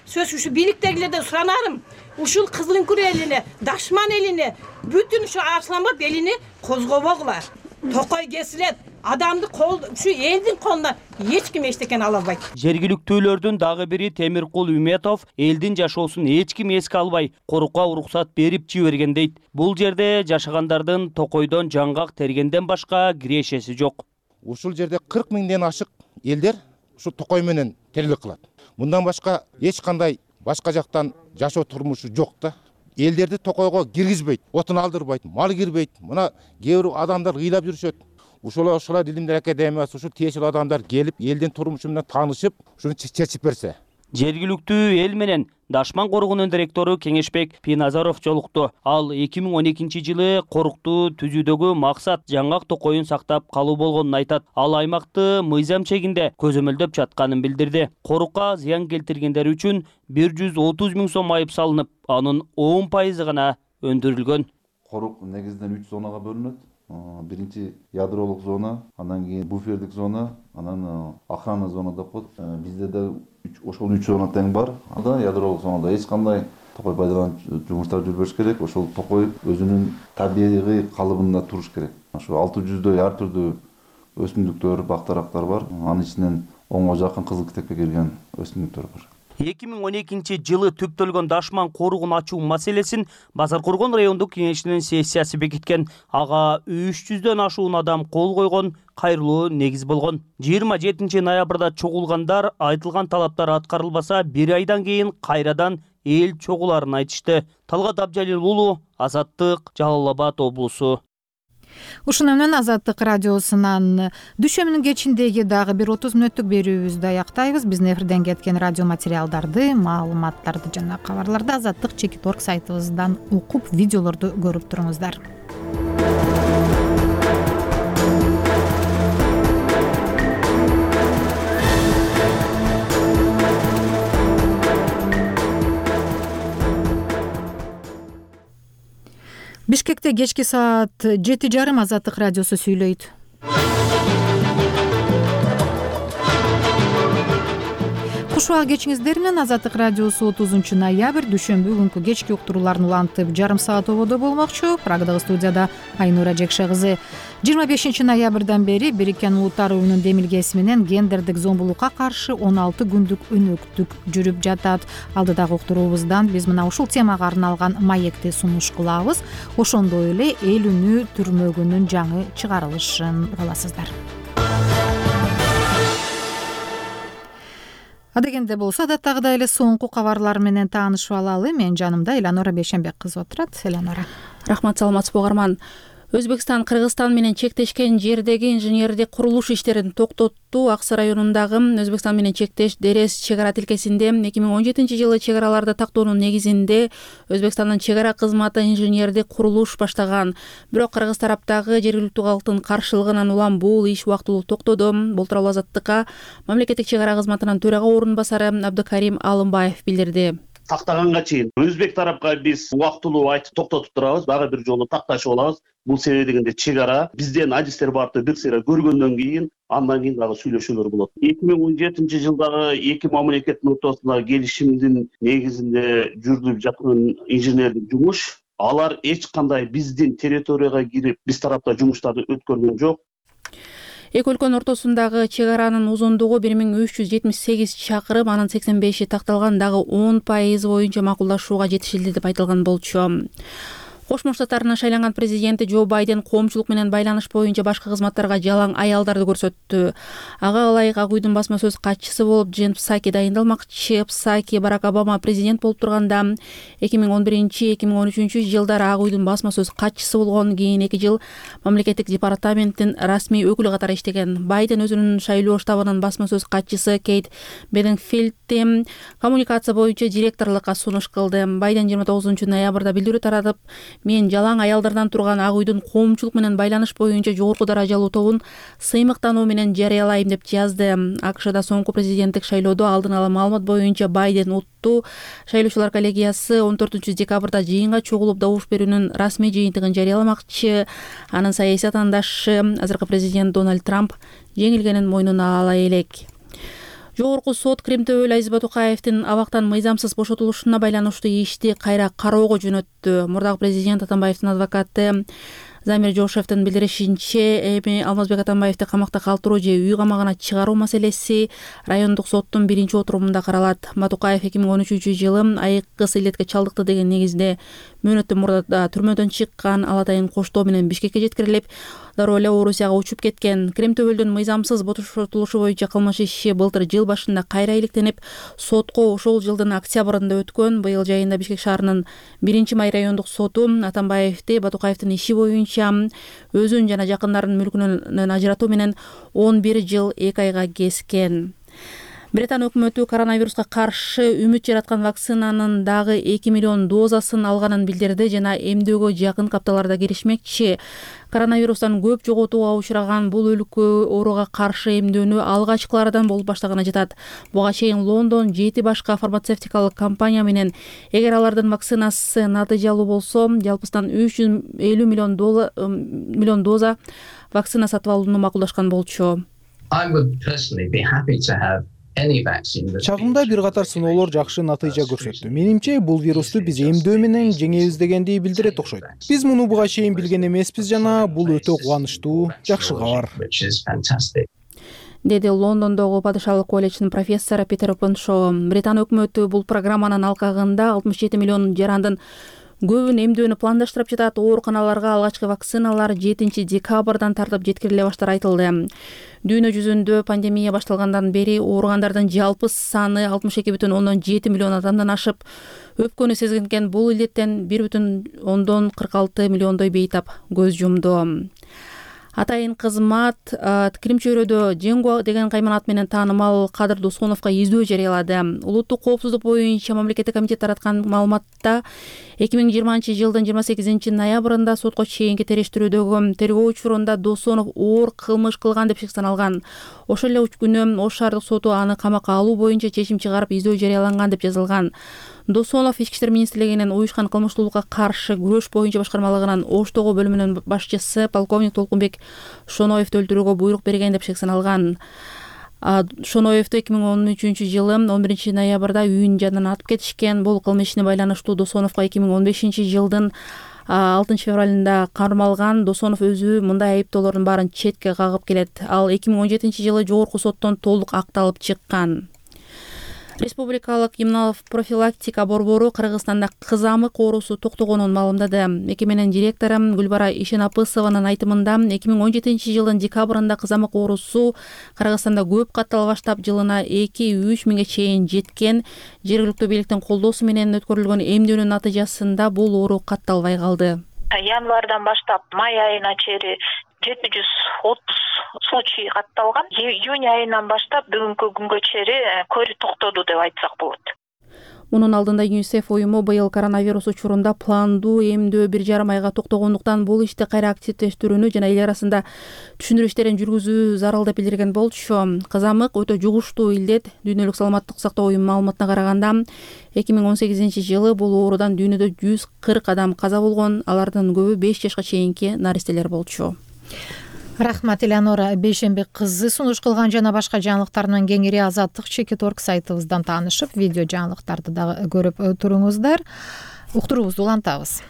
Сөз ушу бийликтегилерден суранарым, ушул Кызыл Үңкүр элине, Дашман элине, бүтүн ушу Арстанбап элине козгобогула. Токой кесилет, адамды кол, ушу элдин колуна эч ким эчтекен ала албайт. Жергиликтүүлөрдүн дагы бири Темиркул Үметов элдин жашоосун эч ким эске албай, корукка уруксат берип жиберген дейт. Бул жерде жашагандардын токойдон жаңгак тергенден башка кирешеси жок. Ушул жерде 40 миңден ашык элдер ушу токой менен тирилик кылат. Мындан башка эч кандай башка жактан жашоо турмушу жок да. Элдерди токойго киргизбейт, отун алдырбайт, мал кирбейт. Мына кээ бир адамдар ыйлап жүрүшөт. Ушулар Илимдер академиясы ушул тиешелүү адамдар келип, элдин турмушу менен таанышып, ушуну чечип берсе. Жергиликтүү эл менен Дашман корugунун директору Кеңешбек Пиназаров жолукту. Ал 2012 жылы корукту түзүүдөгү максат жаңгак токойун сактап калуу болгонун айтат. Ал аймакты мыйзам чегинде көзөмөлдөп жатканын билдирди. Корукка зыян келтиргендер үчүн 130 миң сом айып салынып, анын 10% гана өндүрүлгөн. Корук негизинен 3 зонага бөлүнөт. Биринчи ядролук зона, андан кийин буфердик зона, анан охрана зона деп коет. Бизде да ошол 3 зона тең бар. Анда ядролук зонада эч кандай токой пайдаланып жумуштар жүрбөш керек. Ошол токой өзүнүн табигый калыбында туруш керек. Ошо 600дөй ар түрдүү өсүмдүктөр, бактарактар бар. Анын ичинен 10га жакын кызыл китепке кирген өсүмдүктөр бар. 2012 жылы түптөлгөн дашман коругун ачуу маселесин Базаркоргон райондук кеңешинин сессиясы бекиткен. Ага 300дөн ашуун адам кол койгон, кайрылуу негиз болгон. 27 ноябрда чогулгандар айтылган талаптар аткарылбаса, 1 айдан кийин кайрадан эл чогуларын айтышты. Талгат Абжалил уулу, Азаттык, Жалал Абад облусу. Ушуну менен Азаттык радиосунан дүйшөмүнүн кечиндеги дагы бир 30 мүнөттүк берүүбүздү аяктайбыз. Биздин эфирден кеткен радио материалдарды, маалыматтарды жана кабарларды Азаттык.org сайтыбыздан окуп, видеолорду көрүп туруңуздар. Бишкекте кечки саат 7:30 Азаттык радиосу сүйлөйт. Куш убак кечиңиздер менен Азаттык радиосу 30 ноябрь дүйшөмбү күнкү кечки уктурууларын улантып жарым саат ободо болмокчу. Прагдагы студияда Айнура Жекше кызы. 25 ноябрдан бери Бириккен Улуттар уюмунун демилгеси менен гендердик зомбулукка каршы 16 күндүк өнөктүк жүрүп жатат. Алдыдагы уктуруубуздан биз мына ушул темага арналган маекти сунуш кылабыз. Ошондой эле эл үнү түрмөгүнүн жаңы чыгарылышын угаласыздар. Адегенде болсо адаттагыдай эле соңку кабарлар менен таанышып алалы. Мен жанымда Эланора Бейшенбек кызы отурат. Эланора. Рахмат, саламатсызбы угарман. Өзбекстан Кыргызстан менен чектешкен жердеги инженердик курулуш иштерин токтотту. Аксы районундагы Өзбекстан менен чектеш Дерес чек ара тилкесинде 2017 жылы чек араларды тактоонун негизинде Өзбекстандын чек ара кызматы инженердик курулуш баштаган. Бирок кыргыз тараптагы жергиликтүү калктын каршылыгынан улам бул иш убактылуу токтоду. Бул тууралуу Азаттыкка мамлекеттик чек ара кызматынын төрага орун басары Абдыкарим Алымбаев билдирди. Тактаганга чейин өзбек тарапка биз убактылуу айтып токтотуп турабыз, дагы бир жолу такташып алабыз. Бул себеби дегенде чек ара бизден адистер барып бир сыйра көргөндөн кийин андан кийин дагы сүйлөшүүлөр болот. 2017 жылдагы эки мамлекеттин ортосундагы келишимдин негизинде жүрүлүп жаткан инженердик жумуш, алар эч кандай биздин территорияга кирип, биз тарапта жумуштарды өткөргөн жок. Эки өлкөнүн ортосундагы чек аранын узундугу 1378 чакырым, анын 85 такталган, дагы 10% боюнча макулдашууга жетишилди деп айтылган болчу. Кошмо Штаттарынын шайланган президенти Джо Байден коомчулук менен байланыш боюнча башка кызматтарга жалаң аялдарды көрсөттү. Ага ылайык Ак үйдүн басма сөз катчысы болуп Джен Псаки дайындалмакчы. Псаки Барак Обама президент болуп турганда 2011-2013 жылдары Ак үйдүн басма сөз катчысы болгон, кийин 2 жыл мамлекеттик департаменттин расмий өкүлү катары иштеген. Байден өзүнүн шайлоо штабынын басма сөз катчысы Кейт Бедингфилдти коммуникация боюнча директорлукка сунуш кылды. Байден 29 ноябрда билдирүү таратып, мен жалаң аялдардан турган Ак үйдүн коомчулук менен байланыш боюнча жогорку даражалуу тобун сыймыктануу менен жарыялайм деп жазды. АКШда соңку президенттик шайлоодо алдын ала маалымат боюнча Байден утту. Шайлоочулар коллегиясы 14 декабрда жыйынга чогулуп добуш берүүнүн расмий жыйынтыгын жарыяламакчы. Анын саясий атаандашы азыркы президент Дональд Трамп жеңилгенин мойнуна ала элек. Жогорку сот Кремтөбөл Азиз Батукаевдин абактан мыйзамсыз бошотулушуна байланыштуу ишти кайра кароого жөнөттү. Мурдагы президент Атамбаевдин адвокаты Замир Жошевдин билдиришинче, эми Алмазбек Атамбаевди камакта калтыруу же үй камагына чыгаруу маселеси райондук соттун биринчи отурумунда каралат. Батукаев 2013 жылы айыккыс илетке чалдыкты деген негизде мөөнөттөн мурда түрмөдөн чыккан, ал атайын коштоо менен Бишкекке жеткирилип, дароо эле Орусияга учуп кеткен. Кремтөбөлдүн мыйзамсыз бошотулушу боюнча кылмыш иши былтыр жыл башында кайра иликтенип, сотко ошол жылдын октябрында өткөн. Быйыл жайында Бишкек шаарынын 1-май райондук соту Атамбаевди Батукаевдин иши боюнча өзүн жана жакындарынын мүлкүнөн ажыратуу менен 11 жыл 2 айга кескен. Британ өкмөтү коронавируска каршы үмүт жараткан вакцинанын дагы 2 миллион дозасын алганын билдирди жана эмдөөгө жакын капталарда киришмекчи. Коронавирустан көп жоготууга учураган бул өлкө ооруга каршы эмдөөнү алгачкылардан болуп баштаганы жатат. Буга чейин Лондон 7 башка фармацевтикалык компания менен эгер алардын вакцинасы натыйжалуу болсо, жалпысынан 350 миллион доза вакцина сатып алууну макулдашкан болчу. I would personally be happy to have Чагымда бир катар сыноолор жакшы натыйжа көрсөттү. Менимче бул вирусту биз эмдөө менен жеңебиз дегенди билдирет окшойт. Биз муну буга чейин билген эмеспиз жана бул өтө кубанычтуу, жакшы кабар. Деди Лондондогу Падышалык колледждин профессору Питер Опеншоу. Британ өкмөтү бул программанын алкагында 67 миллион жарандын көбүн эмдөөнү пландаштырып жатат. Ооруканаларга алгачкы вакциналар 7 декабрдан тартып жеткириле баштары айтылды. Дүйнө жүзүндө пандемия башталгандан бери ооругандардын жалпы саны 62,7 миллион адамдан ашып, өпкөнү сезген бул илдеттен 1,46 миллиондой бейтап көз жумду. Атайын кызмат Крим чөйрөдө Дженго деген кайманат менен таанымал Кадыр Досоновго издөө жарыялады. Улуттук коопсуздук боюнча мамлекеттик комитет тараткан маалыматта 2020-жылдын 28 ноябрында сотко чейинки териштирүүдөгү тергөө учурунда Досонов оор кылмыш кылган деп шектелген. Ошол эле күнү Ош шаардык соту аны камакка алуу боюнча чечим чыгарып издөө жарыяланган деп жазылган. Досонов Ички иштер министрлигинин уюшкан кылмыштуулукка каршы күрөш боюнча башкармалыгынын Оштогу бөлүмүнүн башчысы полковник Толкунбек Шоноевду өлтүрүүгө буйрук берген деп шектелген. Шоноевду 2013-жылы 11 ноябрда үйүнүн жанынан атып кетишкен. Бул кылмыш ишине байланыштуу Досоновго 2015-жылдын 6 февралында кармалган. Досонов өзү мындай айыптоолордун баарын четке кагып келет. Ал 2017-жылы жогорку соттон толук акталып чыккан. Республикалык иммунопрофилактика борбору Кыргызстанда кызамык оорусу токтогонун маалымдады. Мекеменин директору Гүлбара Ишенапысованын айтымында 2017-жылдын декабрында кызамык оорусу Кыргызстанда көп каттала баштап, жылына 2-3 миңге чейин жеткен. Жергиликтүү бийликтин колдоосу менен өткөрүлгөн эмдөөнүн натыйжасында бул оору катталбай калды. Январдан баштап май айына чейин 730 случай катталган. Июнь айынан баштап бүгүнкү күнгө чейин көрү токтоду деп айтсак болот. Мунун алдында ЮНИСЕФ уюму быйыл коронавирус учурунда пландуу эмдөө 1,5 айга токтогондуктан бул ишти кайра активдештирүүнү жана эл арасында түшүндүрүү иштерин жүргүзүү зарыл деп билдирген болчу. Кызамык өтө жугуштуу илдет. Дүйнөлүк саламаттык сактоо уюмунун маалыматына караганда 2018-жылы бул оорудан дүйнөдө 140 адам каза болгон. Алардын көбү 5 жашка чейинки наристелер болчу. Рахмат Элеонора. Бейшемби кызы сунуш кылган жана башка жаңылыктар менен кеңири Азаттык.org сайтыбыздан таанышып, видео жаңылыктарды дагы көрүп туруңуздар. Уктуруубузду улантабыз.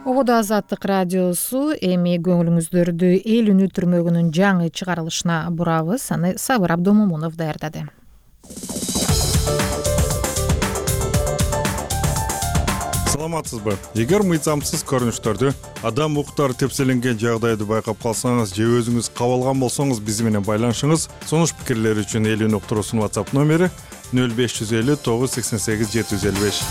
Ободо Азаттык радиосу эми көңүлүңүздөрдү эл үнү түрмөгүнүн жаңы чыгарылышына бурабыз. Аны Сабыр Абдомомунов даярдады. Саламатсызбы? Эгер мыйзамсыз көрүнүштөрдү, адам укуктары тепселенген жагдайды байкап калсаңыз же өзүңүз кабылган болсоңуз биз менен байланышыңыз. Сунуш пикирлер үчүн эл үнү уктуруусунун WhatsApp номери 0550 988 755.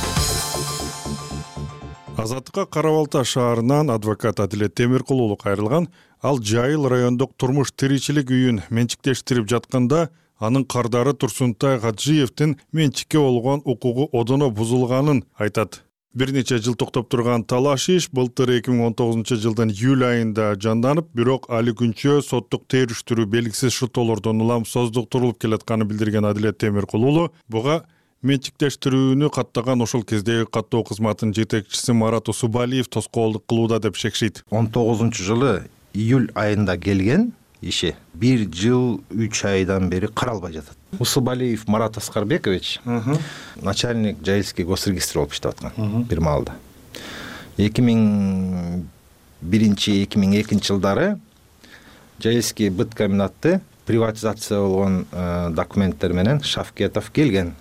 Азаттыкка Кара Балта шаарынан адвокат Адилет Темиркул уулу кайрылган. Ал Жайыл райондук турмуш тиричилик үйүн менчиктештирип жатканда анын кардары Турсунтай Гаджиевдин менчикке болгон укугу одоно бузулганын айтат. Бир нече жыл токтоп турган талаш иш былтыр 2019-жылдын июль айында жанданып, бирок али күнчө соттук териштирүү белгисиз шылтоолордон улам создуктурулуп келатканын билдирген Адилет Темиркул уулу буга менчиктештирүүнү каттаган ошол кездеги каттоо кызматынын жетекчиси Марат Усубалиев тоскоолдук кылууда деп шекшейт. 19-жылы июль айында келген иши 1 жыл 3 айдан бери каралбай жатат. Усубалиев Марат Аскарбекович начальник Жайылский госрегистр болуп иштеп аткан бир маалда. 2001-2002 жылдары Жайылский быт комбинаты приватизация болгон документтер менен Шавкетов келген.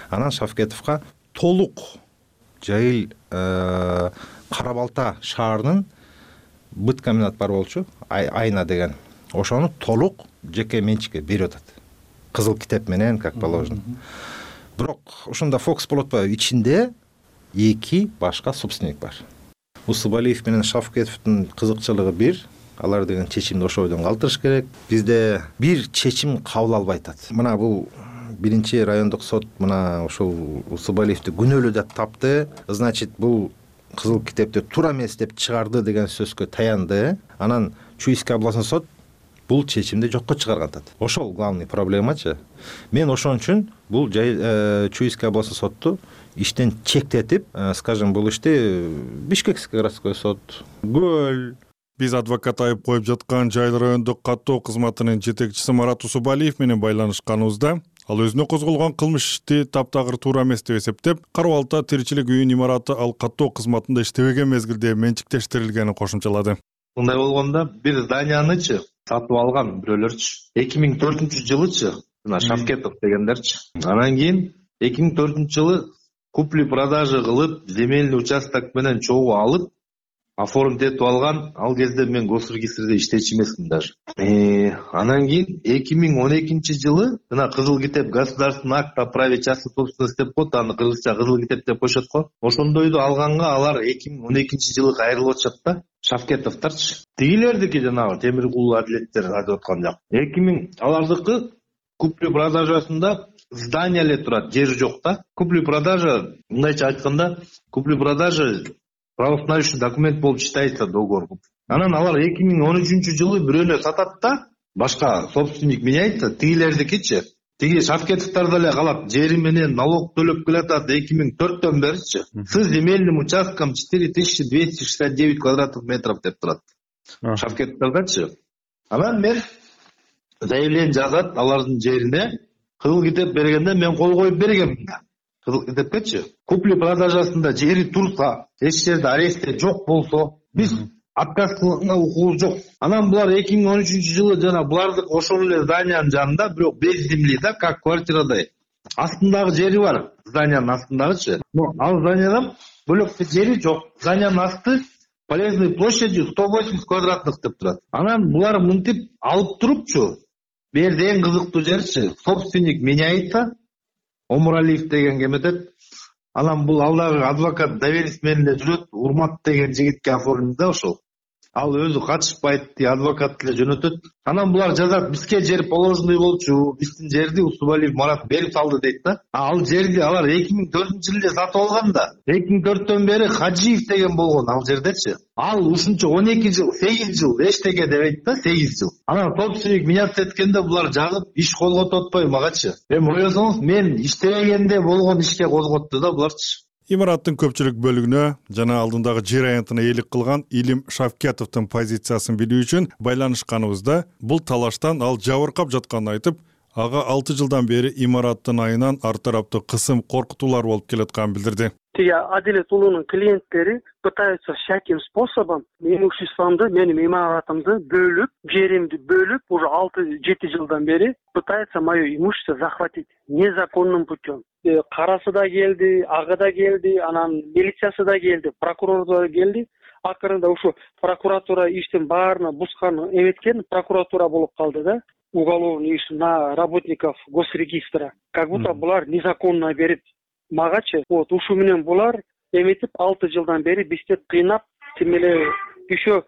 Анан Шавкетовго толук Жайыл Кара Балта шаарынын быт комбинат бар болчу, Айна деген. Ошону толук жеке менчикке берип атат. Кызыл китеп менен, как положено. Бирок ошондо фокус болуп атпайбы, ичинде 2 башка собственник бар. Усубалиев менен Шавкетовдун кызыкчылыгы бир, алар деген чечимди ошол бойдон калтырыш керек. Бизде бир чечим кабыл албай атат. Мына бул биринчи райондук сот мына ошол Усубалиевди күнөөлүү деп тапты. Значит, бул кызыл китепти туура эмес деп чыгарды деген сөзгө таянды. Анан Чуйский областной сот бул чечимди жокко чыгарган атат. Ошол главный проблемачы. Мен ошон үчүн бул Чуйский областный сотту иштен чектетип, скажем, бул ишти Бишкекский городской сот, Гөл. Биз адвокат айып коюп жаткан Жайыл райондук каттоо кызматынын жетекчиси Марат Усубалиев менен байланышканыбызда ал өзүнө козголгон кылмыш ишти таптагыр туура эмес деп эсептеп, Кара Балта тиричилик үйүн имараты ал каттоо кызматында иштебеген мезгилде менчиктештирилгенин кошумчалады. Мындай болгондо бир зданиянычы сатып алган бирөөлөрчү 2004-жылычы мына Шавкетов дегендерчи. Анан кийин 2004-жылы купли-продажа кылып, земельный участок менен чогуу алып, оформить этип алган. Ал кезде мен госрегистрде иштечү эмесмин даже. Анан кийин 2012-жылы мына Кызыл китеп государственный акт о праве частной собственности деп коет, аны кыргызча Кызыл китеп деп коюшат го. Ошондойду алганга алар 2012-жылы кайрылып атышат да. Шавкетовдорчу. Тигилердики жанагы Темиркулу адилеттер айтып аткан жак. 2000 алардыкы купли-продажасында здание эле турат, жери жок да. Купли-продажа, мындайча айтканда, купли-продажа правоустанавливающий документ болуп читается договор. Анан алар 2013-жылы бирөөнө сатат да, башка собственник меняется, тигилердикичи. Тиги Шавкетовдор деле калат, жери менен налог төлөп келатат 2004-төн беричи. С земельным участком 4269 квадратных метров деп турат. Шавкетовдордачы. Анан мен заявление жазат алардын жерине, Кызыл китеп бергенде мен кол коюп бергенмин. Кызыл китепкечи. Купли-продажасында жери турса, эч жерде аресте жок болсо, биз отказ кылганга укугубуз жок. Анан булар 2013-жылы жана булардык ошол эле зданиянын жанында, бирок без земли да, как квартирадай. Астындагы жери бар, зданиянын астындагычы. Но ал зданиядан бөлөкчө жери жок. Зданиянын асты полезной площадью 180 квадратных деп турат. Анан булар мынтип алып турупчу. Берде эң кызыктуу жерчи, собственник меняется, Омуралиев деген кеметет. Анан бул алдагы адвокат доверенность менен жүрөт, Урмат деген жигитке оформдо да ошол. Ал өзү катышпайт, адвокат эле жөнөтөт. Анан булар жазат, бизге жер положенный болчу, биздин жерди Усубалиев Марат берип салды дейт да. Ал жерди алар 2004-жылы сатып алган да. 2004-төн бери Хаджиев деген болгон ал жердечи. Ал ушунча 12 жыл, 8 жыл эчтеке дебейт да, 8 жыл. Анан собственник меняться эткенде булар жагып иш козготуп атпайбы магачы. Ойлосоңуз, мен иштебегенде болгон ишке козготту да буларчы. Имараттын көпчүлүк бөлүгүнө жана алдындагы жер аянтына ээлик кылган Илим Шавкетовдун позициясын билүү үчүн байланышканыбызда бул талаштан ал жабыркап жатканын айтып, ага 6 жылдан бери имараттын айынан ар тараптуу кысым коркутуулар болуп келатканын билдирди. Тиги Адилет уулунун клиенттери пытаются всяким способом имуществомду, менин имаратымды бөлүп, жеримди бөлүп, уже 6-7 жылдан бери пытается мое имущество захватить незаконным путем. Карасы да келди, ага да келди, анан милициясы да келди, прокурор да келди. Акырында ушу прокуратура иштин баарына бускан эметкен прокуратура болуп калды да. Уголовный иш на работников госрегистра. Как будто булар незаконно берип магачы. Вот ушу менен булар эметип 6 жылдан бери бизди кыйнап, тим эле еще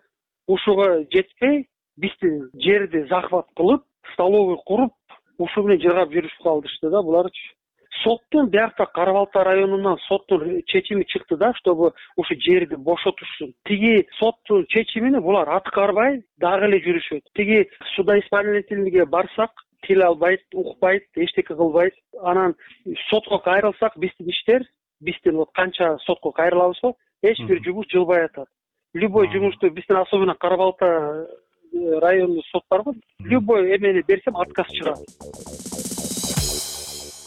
ушуга жетпей, бизди жерди захват кылып, столовый куруп, ушу менен жыргап жүрүшүп калдышты да буларчы. Соттун биякта Кара Балта районунан соттун чечими чыкты да, чтобы ушу жерди бошотушсун. Тиги соттун чечимини булар аткарбай дагы эле жүрүшөт. Тиги судоисполнительниге барсак, тил албайт, укпайт, эчтеке кылбайт. Анан сотко кайрылсак, биздин иштер, биздин вот канча сотко кайрылабызбы, эч бир жумуш жылбай атат. Любой жумушту биздин особенно Кара Балта райондук сот барбы? Любой эмени берсем отказ чыгат.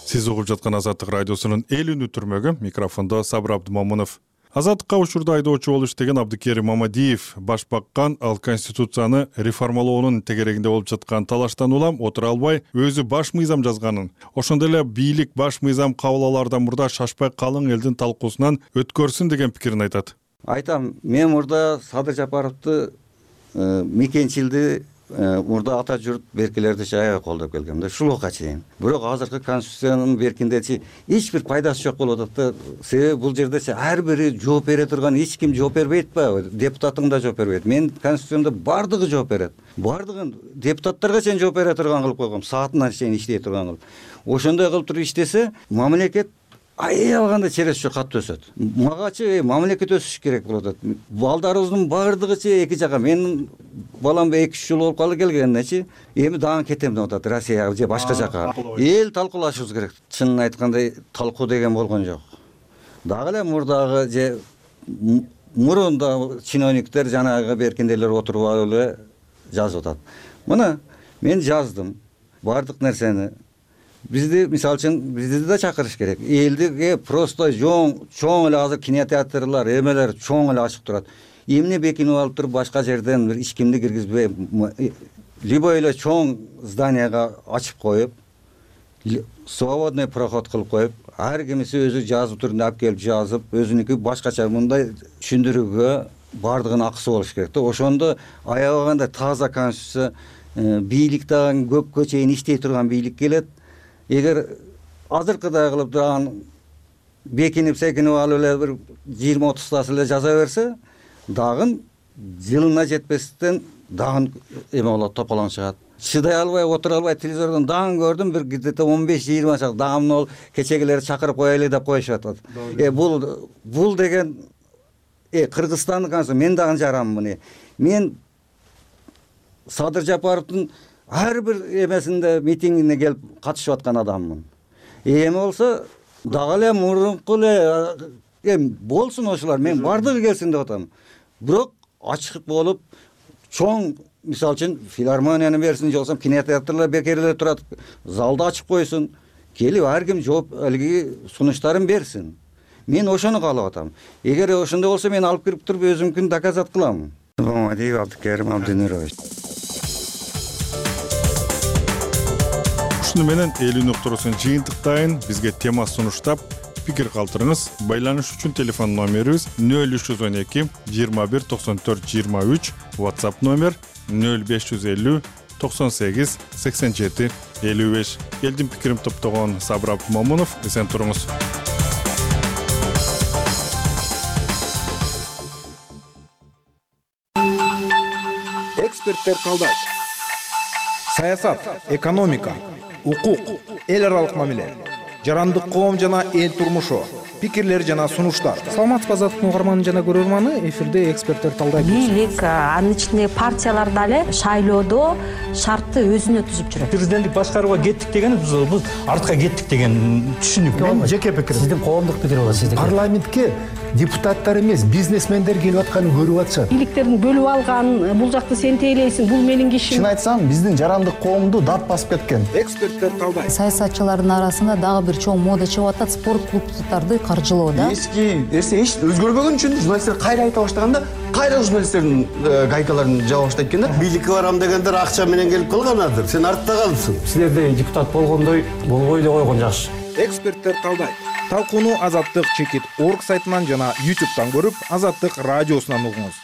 Сиз угуп жаткан Азаттык радиосунун эл үнү түрмөгү, микрофондо Сабыр Абдымомунов. Азаттыкка учурда айдоочу болуп иштеген Абдыкерим Мамадиев баш баккан, ал конституцияны реформалоонун тегерегинде болуп жаткан талаштан улам отура албай, өзү баш мыйзам жазганын, ошондой эле бийлик баш мыйзам кабыл алаардан мурда шашпай калың элдин талкуусунан өткөрсүн деген пикирин айтат. Айтам, мен мурда Садыр Жапаровду мекенчилди мурда ата журт беркелерди аябай колдоп келгем да, ушулга чейин. Бирок азыркы конституциянын беркиндечи эч бир пайдасы жок болуп атат да. Себеби бул жердечи ар бири жооп бере турган, эч ким жооп бербейт ба? Депутатың да жооп бербейт. Мен конституциямда бардыгы жооп берет. Бардыгын депутаттарга чейин жооп бере турган кылып койгом, саатына чейин иштей турган кылып. Ошондой кылып туруп иштесе, мамлекет аябаганда чересче катуу өсөт. Магачы мамлекет өсүш керек болот. Балдарыбыздын баардыгычы эки жака. Менин балам 2-3 жыл болуп калды келгендечи, эми дагы кетем деп атат Россияга же башка жака. Эл талкуулашыбыз керек. Чынын айтканда талкуу деген болгон жок. Дагы эле мурдагы же мурунда чиновниктер жанагы беркиндейлер отуруп алып эле жазып атат. Мына мен жаздым баардык нерсени. Бизди мисалы үчүн бизди да чакырыш керек. Элдиге просто чоң эле азыр кинотеатрлар, эмелер чоң эле ачык турат. Эмне бекинип алып туруп башка жерден бир ичкимди киргизбей, любой эле чоң зданияга ачып коюп, свободный проход кылып коюп, ар кимиси өзү жазып түрүндө алып келип жазып, өзүнүкү башкача мындай түшүндүрүүгө баардыгынын акысы болуш керек да. Ошондо аябаганда таза конституция, бийлик дагы көпкө чейин иштей турган бийлик келет. Эгер азыркыдай кылып турган бекинип секинип алып эле бир 20-30 тасы эле жаза берсе, дагы жылына жетпестен дагы эме болот, тополоң чыгат. Чыдай албай, отура албай телевизордон дагы көрдүм, бир где-то 15-20 чак дагы мына кечегилер чакырып коелы деп коюшуп атат. Бул деген Кыргызстандын конституциясы мен дагы жарам муну. Мен Садыр Жапаровдун ар бир эмесинде митингине келип катышып аткан адаммын. Эми болсо дагы эле мурунку эле болсун ошолар, мен бардыгы келсин деп атам. Бирок ачык болуп чоң, мисалы үчүн филармонияны берсин, же болбосо кинотеатрлар бекер эле турат, залды ачып койсун, келип ар ким жооп алиги сунуштарын берсин. Мен ошону каалап атам. Эгер ошондой болсо мен алып кирип туруп өзүмкүн доказат кылам. Мамадиев Абдыкерим Абдынурович. Ушуну менен эл үн уктуруусун жыйынтыктайын. Бизге тема сунуштап, пикир калтырыңыз. Байланыш үчүн телефон номерибиз 0312 21 94 23, WhatsApp номер 0550 98 87 55. Элдин пикирин топтогон Сабыр Абдымомунов, эсен туруңуз. Эксперттер талдайт. Саясат, экономика, укук, эл аралык мамиле, жарандык коом жана эл турмушу, пикирлер жана сунуштар. Саламатсызбы Азаттыктын угарманы жана көрөрманы, эфирде эксперттер талдайт. Бийлик, анын ичинде партиялар дагы шайлоодо шартты өзүнө түзүп жүрөт. Президенттик башкарууга кеттик деген бул артка кеттик деген түшүнүк. Мен жеке пикирим. Сиздин коомдук пикир болот сиздики. Парламентке депутаттар эмес, бизнесмендер келип атканын көрүп атышат. Бийликтердин бөлүп алган, бул жакты сен тейлейсиң, бул менин кишим. Чын айтсам, биздин жарандык коомду дат басып кеткен. Эксперттер талдайт. Саясатчылардын арасында дагы бир чоң мода чыгып атат, спорт клубдарды каржылоо да. Эски нерсе эч өзгөрбөгөн үчүн журналисттер кайра айта баштаганда, кайра журналисттердин гайкаларын жаба баштайт экен да. Бийликке барам дегендер акча менен келип калганадыр. Сен артта калыпсың. Силерде депутат болгондой болбой эле койгон жакшы. Эксперттер талдайт. Талкууну Азаттык.org сайтынан жана YouTube'дан көрүп, Азаттык радиосунан угуңуз.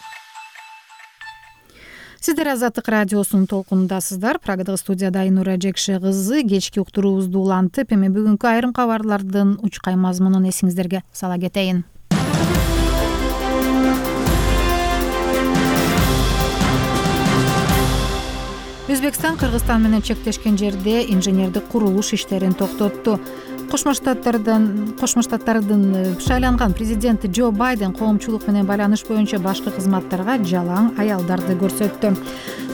Сиздер Азаттык радиосунун толкунундасыздар. Прагадагы студияда Айнура Жекше кызы. Кечки уктуруубузду улантып, эми бүгүнкү айрым кабарлардын учкай мазмунун эсиңиздерге сала кетейин. Өзбекстан Кыргызстан менен чектешкен жерде инженердик курулуш иштерин токтотту. Кошмо Штаттардын шайланган президенти Джо Байден коомчулук менен байланыш боюнча башкы кызматтарга жалаң аялдарды көрсөттү.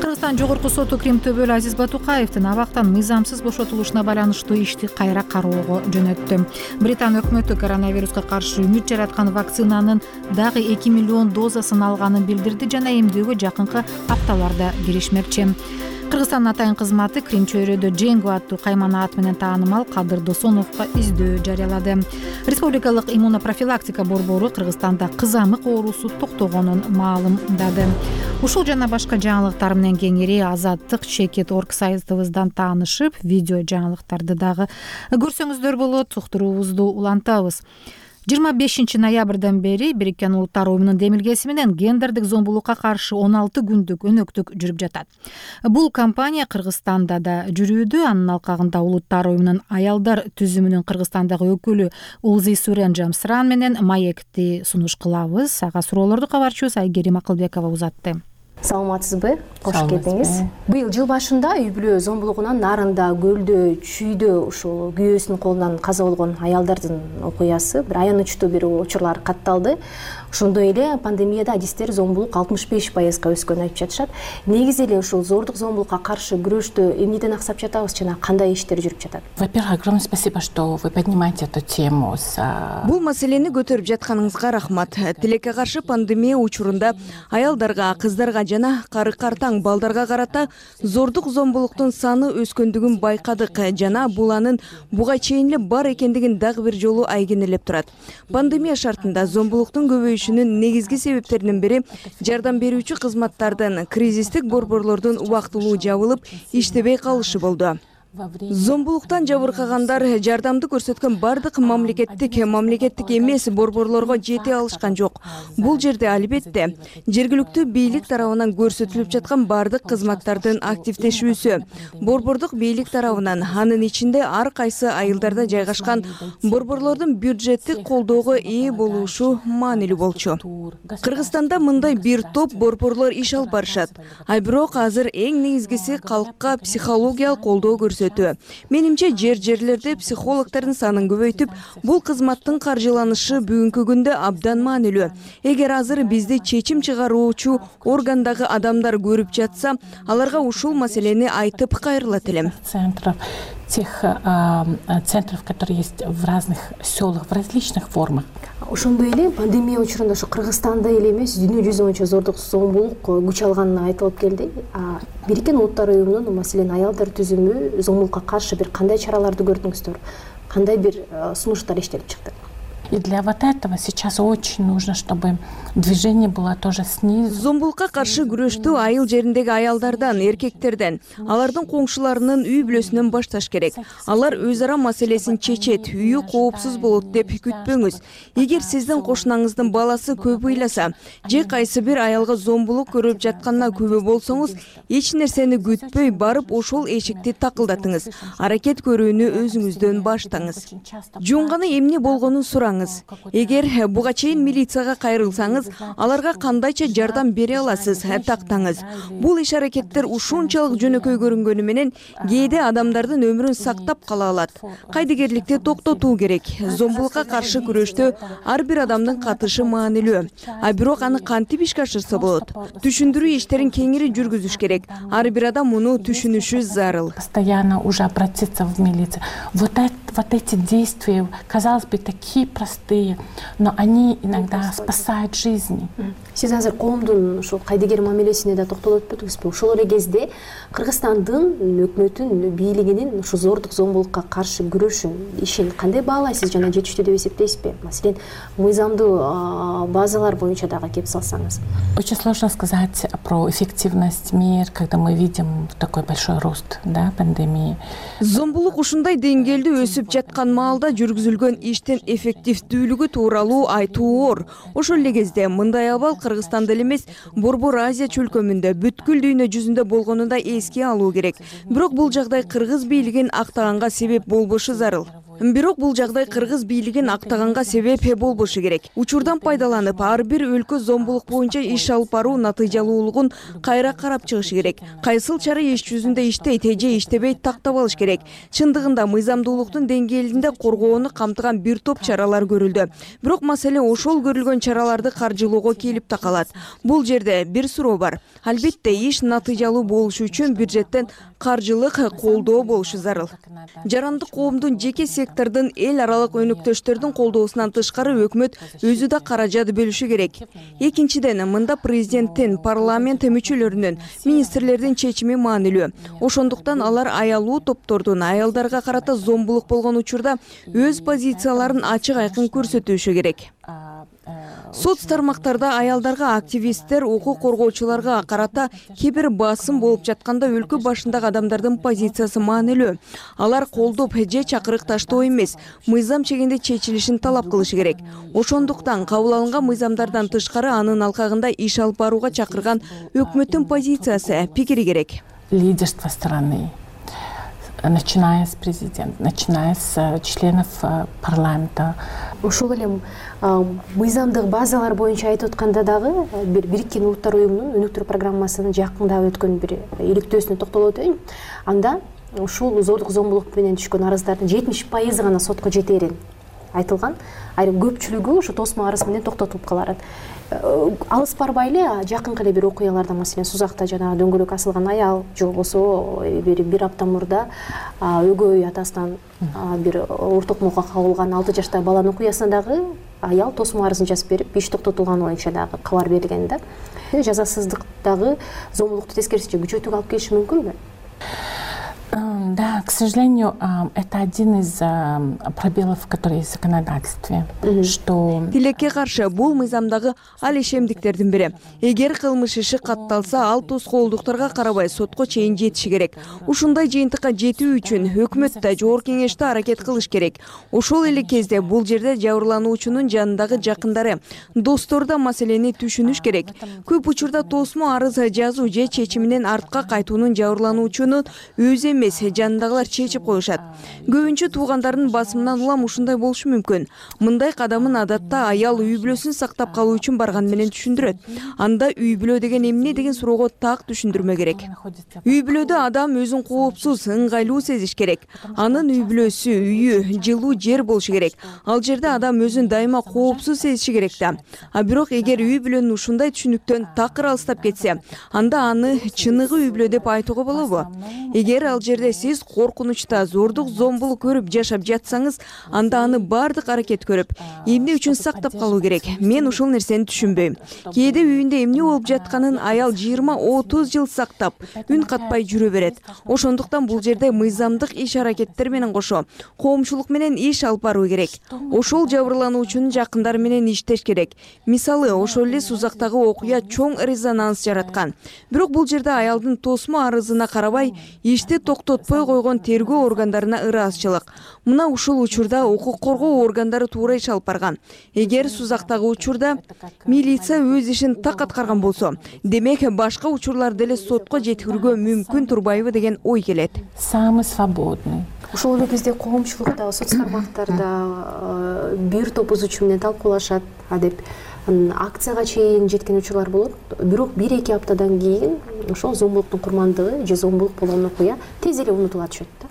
Кыргызстан жогорку соту Крим төбөлү Азиз Батукаевдин абактан мыйзамсыз бошотулушуна байланыштуу ишти кайра кароого жөнөттү. Британ өкмөтү коронавируска каршы үмүт жараткан вакцинанын дагы 2 миллион дозасын алганын билдирди жана эмдөөгө жакынкы апталарда киришмекчи. Кыргызстандын атайын кызматы Крим чөйрөдө Дженго аттуу каймана ат менен таанымал Кадыр Досоновго издөө жарыялады. Республикалык иммунопрофилактика борбору Кыргызстанда кызамык оорусу токтогонун маалымдады. Ушул жана башка жаңылыктар менен кеңири Азаттык.org сайтыбыздан таанышып, видео жаңылыктарды дагы көрсөңүздөр болот. Уктуруубузду улантабыз. 25 ноябрдан бери Бириккен Улуттар Уюмунун демилгеси менен гендердик зомбулукка каршы 16 күндүк өнөктүк жүрүп жатат. Бул кампания Кыргызстанда да жүрүүдө. Анын алкагында Улуттар Уюмунун аялдар түзүмүнүн Кыргызстандагы өкүлү Улзи Сурен Жамсыран менен маекти сунуш кылабыз. Ага суроолорду кабарчыбыз Айгерим Акылбекова узатты. Саламатсызбы? Кош келдиңиз. Быйыл жыл башында үй бүлө зомбулугунан Нарында, Көлдө, Чүйдө ушул күйөөсүнүн колунан каза болгон аялдардын окуясы бир аянычтуу бир учурлар катталды. Ошондой эле пандемияда адистер зомбулук 65%га өскөнүн айтып жатышат. Негизи эле ушул зордук зомбулукка каршы күрөштө эмнеден аксап жатабыз жана кандай иштер жүрүп жатат? Во-первых, огромное спасибо, что вы поднимаете эту тему. Бул маселени көтөрүп жатканыңызга рахмат. Тилекке каршы пандемия учурунда аялдарга, кыздарга жана кары-картаң балдарга карата зордук зомбулуктун саны өскөндүгүн байкадык жана бул анын буга чейин эле бар экендигин дагы бир жолу айгинелеп турат. Пандемия шартында зомбулуктун көбөйүшүнүн негизги себептеринин бири жардам берүүчү кызматтардын кризистик борборлордун убактылуу жабылып, иштебей калышы болду. Зомбулуктан жабыркагандар жардамды көрсөткөн бардык мамлекеттик эмес борборлорго жете алышкан жок. Бул жерде албетте жергиликтүү бийлик тарабынан көрсөтүлүп жаткан бардык кызматтардын активдешүүсү, борбордук бийлик тарабынан, анын ичинде ар кайсы айылдарда жайгашкан борборлордун бюджеттик колдоого ээ болушу маанилүү болчу. Кыргызстанда мындай бир топ борборлор иш алып барышат. Бирок азыр эң негизгиси калкка психологиялык колдоо көрсөтүү. Менимче жерлерде психологдордун санын көбөйтүп, бул кызматтын каржыланышы бүгүнкү күндө абдан маанилүү. Эгер азыр бизди чечим чыгаруучу органдагы адамдар көрүп жатса, аларга ушул маселени айтып кайрылат элем. Тех центров, которые есть в разных селах, в различных формах. Ошондой эле пандемия учурунда ошо Кыргызстанда эле эмес, дүйнө жүзү боюнча зордук зомбулук күч алганы айтылып келди. Бириккен Улуттар уюмунун, маселен, аялдар түзүмү зомбулукка каршы бир кандай чараларды көрдүңүздөр? Кандай бир сунуштар иштелип чыкты? И для вот этого сейчас очень нужно, чтобы движение было тоже снизу. Зомбулукка каршы күрөштү айыл жериндеги аялдардан, эркектерден, алардын коңшуларынын үй бүлөсүнөн башташ керек. Алар өз ара маселесин чечет, үйү коопсуз болот деп күтпөңүз. Эгер сиздин кошунаңыздын баласы көп ыйласа, же кайсы бир аялга зомбулук көрүп жатканына күбө болсоңуз, эч нерсени күтпөй барып ошол эшикти такылдатыңыз. Аракет көрүүнү өзүңүздөн баштаңыз. Жунганы эмне болгонун сураңыз. Эгер буга чейин милицияга кайрылсаңыз, аларга кандайча жардам бере аласыз, тактаңыз. Бул иш аракеттер ушунчалык жөнөкөй көрүнгөнү менен кээде адамдардын өмүрүн сактап кала алат. Кайдыгерликти токтотуу керек. Зомбулукка каршы күрөштө ар бир адамдын катышы маанилүү. Бирок аны кантип ишке ашырса болот? Түшүндүрүү иштерин кеңири жүргүзүш керек. Ар бир адам муну түшүнүшү зарыл. Постоянно уже обратиться в милицию. Вот эти действия, казалось бы, такие простые, но они иногда спасают жизни. Сиз азыр коомдун ушул кайдыгер мамилесине да токтолуп өтпөдүңүзбү? Ошол эле кезде Кыргызстандын өкмөтүн, бийлигинин ушу зордук зомбулукка каршы күрөшүн, ишин кандай баалайсыз жана жетиштүү деп эсептейсизби? Маселен, мыйзамдуу базалар боюнча дагы кеп салсаңыз. Очень сложно сказать про эффективность мер, когда мы видим такой большой рост, да, пандемии. Зомбулук ушундай деңгээлде өсүп жаткан маалда жүргүзүлгөн иштин эффективдүүлүгү тууралуу айтуу оор. Ошол эле кезде мындай абал Кыргызстанда эле эмес, Борбор Азия чөлкөмүндө, бүткүл дүйнө жүзүндө болгонун да эске алуу керек. Бирок бул жагдай кыргыз бийлигин актаганга себеп болбошу зарыл. керек. Учурдан пайдаланып, ар бир өлкө зомбулук боюнча иш алып баруу натыйжалуулугун кайра карап чыгыш керек. Кайсыл чара иш жүзүндө иштейт, же иштебейт тактап алыш керек. Чындыгында мыйзамдуулуктун деңгээлинде коргоону камтыган бир топ чаралар көрүлдү. Бирок маселе ошол көрүлгөн чараларды каржылоого келип такалат. Бул жерде бир суроо бар. Албетте иш натыйжалуу болушу үчүн бюджеттен каржылык колдоо болушу зарыл. Жарандык коомдун, жеке сектордун, эл аралык өнөктөштөрдүн колдоосунан тышкары өкмөт өзү да каражат бөлүшү керек. Экинчиден, мында президенттин, парламент мүчөлөрүнүн, министрлердин чечими маанилүү. Ошондуктан алар аялуу топтордун аялдарга карата зомбулук болгон учурда өз позицияларын ачык айкын көрсөтүшү керек. Соц тармактарда аялдарга, активисттер, укук коргоочуларга карата кээ бир басым болуп жатканда өлкө башындагы адамдардын позициясы маанилүү. Алар колдоп же чакырык таштоо эмес, мыйзам чегинде чечилишин талап кылышы керек. Ошондуктан кабыл алынган мыйзамдардан тышкары анын алкагында иш алып барууга чакырган өкмөттүн позициясы, пикири керек. Лидерство страны. начиная с президента, начиная с членов парламента. Ошол эле мыйзамдык базалар боюнча айтып атканда дагы Бириккен Улуттар уюмунун өнүктүрүү программасынын жакында өткөн бир иликтөөсүнө токтолуп өтөйүн. Анда ушул зордук зомбулук менен түшкөн арыздардын 70% гана сотко жетери айтылган. Айрым көпчүлүгү ошо тосмо арыз менен токтотулуп калат. Алыс барбай эле жакынкы эле бир окуяларда, маселен Сузакта жанагы дөңгөлөк асылган аял, же болбосо бир апта мурда өгөй атасынан бир оор токмокко кабылган 6 жаштагы баланын окуясына дагы аял тосмо арызын жазып берип, иш токтотулган боюнча дагы кабар берилген да. Жазасыздык дагы зомбулукту тескерисинче күчөтүүгө алып келиши мүмкүнбү? Да, к сожалению, это один из пробелов, которые есть в законодательстве, что... Тилекке каршы бул мыйзамдагы алешемдиктердин бири. Эгер кылмыш иши катталса, ал тоскоолдуктарга карабай сотко чейин жетиши керек. Ушундай жыйынтыкка жетүү үчүн өкмөт да, жогорку кеңеш да аракет кылыш керек. Ошол эле кезде бул жерде жабырлануучунун жанындагы жакындары, достор да маселени түшүнүш керек. Көп учурда тосмо арыз жазуу же чечиминен артка кайтуунун жабырлануучунун өзү эмес, жанындагылар чечип коюшат. Көбүнчө туугандарынын басымынан улам ушундай болушу мүмкүн. Мындай кадамын адатта аял үй бүлөсүн сактап калуу үчүн барган менен түшүндүрөт. Анда үй бүлө деген эмне деген суроого так түшүндүрмө керек. Үй бүлөдө адам өзүн коопсуз, ыңгайлуу сезиш керек. Анын үй бүлөсү, үйү, жылуу жер болушу керек. Ал жерде адам өзүн дайыма коопсуз сезиши керек да. А бирок эгер үй бүлөнүн ушундай түшүнүктөн такыр алыстап кетсе, анда аны чыныгы үй бүлө деп айтууга болобу? Эгер ал жерде сиз коркунучта зордук зомбулук көрүп жашап жатсаңыз, анда аны бардык аракет көрүп, эмне үчүн сактап калуу керек? Мен ушул нерсени түшүнбөйм. Кээде үйүндө эмне болуп жатканын аял 20-30 жыл сактап, үн катпай жүрө берет. Ошондуктан бул жерде мыйзамдык иш аракеттер менен кошо коомчулук менен иш алып баруу керек. Ошол жабырлануучунун жакындары менен иштеш керек. Мисалы, ошол эле Сузактагы окуя чоң резонанс жараткан. Бирок бул жерде аялдын тосмо арызына карабай, ишти токтотпой койгон тергөө органдарына ыраазычылык. Мына ушул учурда укук коргоо органдары туура иш алып барган. Эгер Сузактагы учурда милиция өз ишин так аткарган болсо, демек башка учурларды деле сотко жеткирүүгө мүмкүн турбайбы деген ой келет. Самый свободный. Ошол эле кезде коомчулукта, соц тармактарда бир топ узуучу менен талкуулашат, деп акцияга чейин жеткен учурлар болот. Бирок 1-2 аптадан кийин ошол зомбулуктун курмандыгы же зомбулук болгон окуя тез эле унутула түшөт да.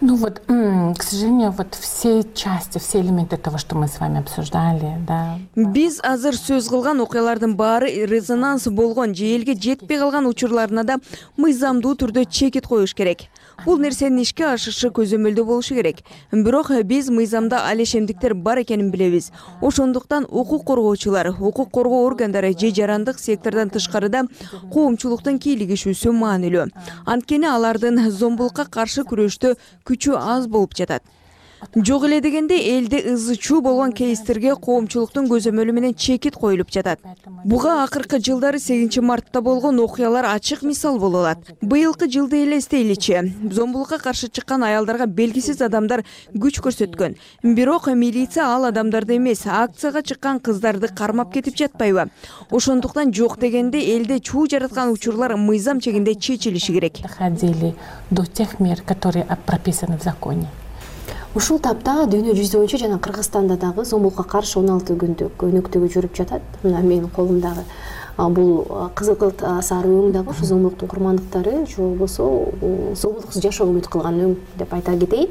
Ну вот, к сожалению, вот все части, все элементы того, что мы с вами обсуждали, да. Биз азыр сөз кылган окуялардын баары резонанс болгон же элге жетпей калган учурларына да мыйзамдуу түрдө чекит коюш керек. Бул нерсенин ишке ашышы көзөмөлдө болушу керек. Бирок биз мыйзамда алешемдиктер бар экенин билебиз. Ошондуктан укук коргоочулар, укук коргоо органдары же жарандык сектордон тышкарыда коомчулуктун кийлигишүүсү маанилүү. Анткени алардын зомбулукка каршы күрөштө күчү аз болуп жатат. Жок эле дегенде элде ызы чуу болгон кейстерге коомчулуктун көзөмөлү менен чекит коюлуп жатат. Буга акыркы жылдары 8-мартта болгон окуялар ачык мисал боло алат. Быйылкы жылды элестейличи, зомбулукка каршы чыккан аялдарга белгисиз адамдар күч көрсөткөн. Бирок милиция ал адамдарды эмес, акцияга чыккан кыздарды кармап кетип жатпайбы? Ошондуктан жок дегенде элде чуу жараткан учурлар мыйзам чегинде чечилиши керек. Доходили до тех мер, которые прописаны в законе. Ушул тапта дүйнө жүзү боюнча жана Кыргызстанда дагы зомбулукка каршы 16 күндүк өнөктүгү жүрүп жатат. Мына менин колумдагы бул кызыл кылт сары өң дагы ушу зомбулуктун курмандыктары же болбосо зомбулуксуз жашоо үмүт кылган өң деп айта кетейин.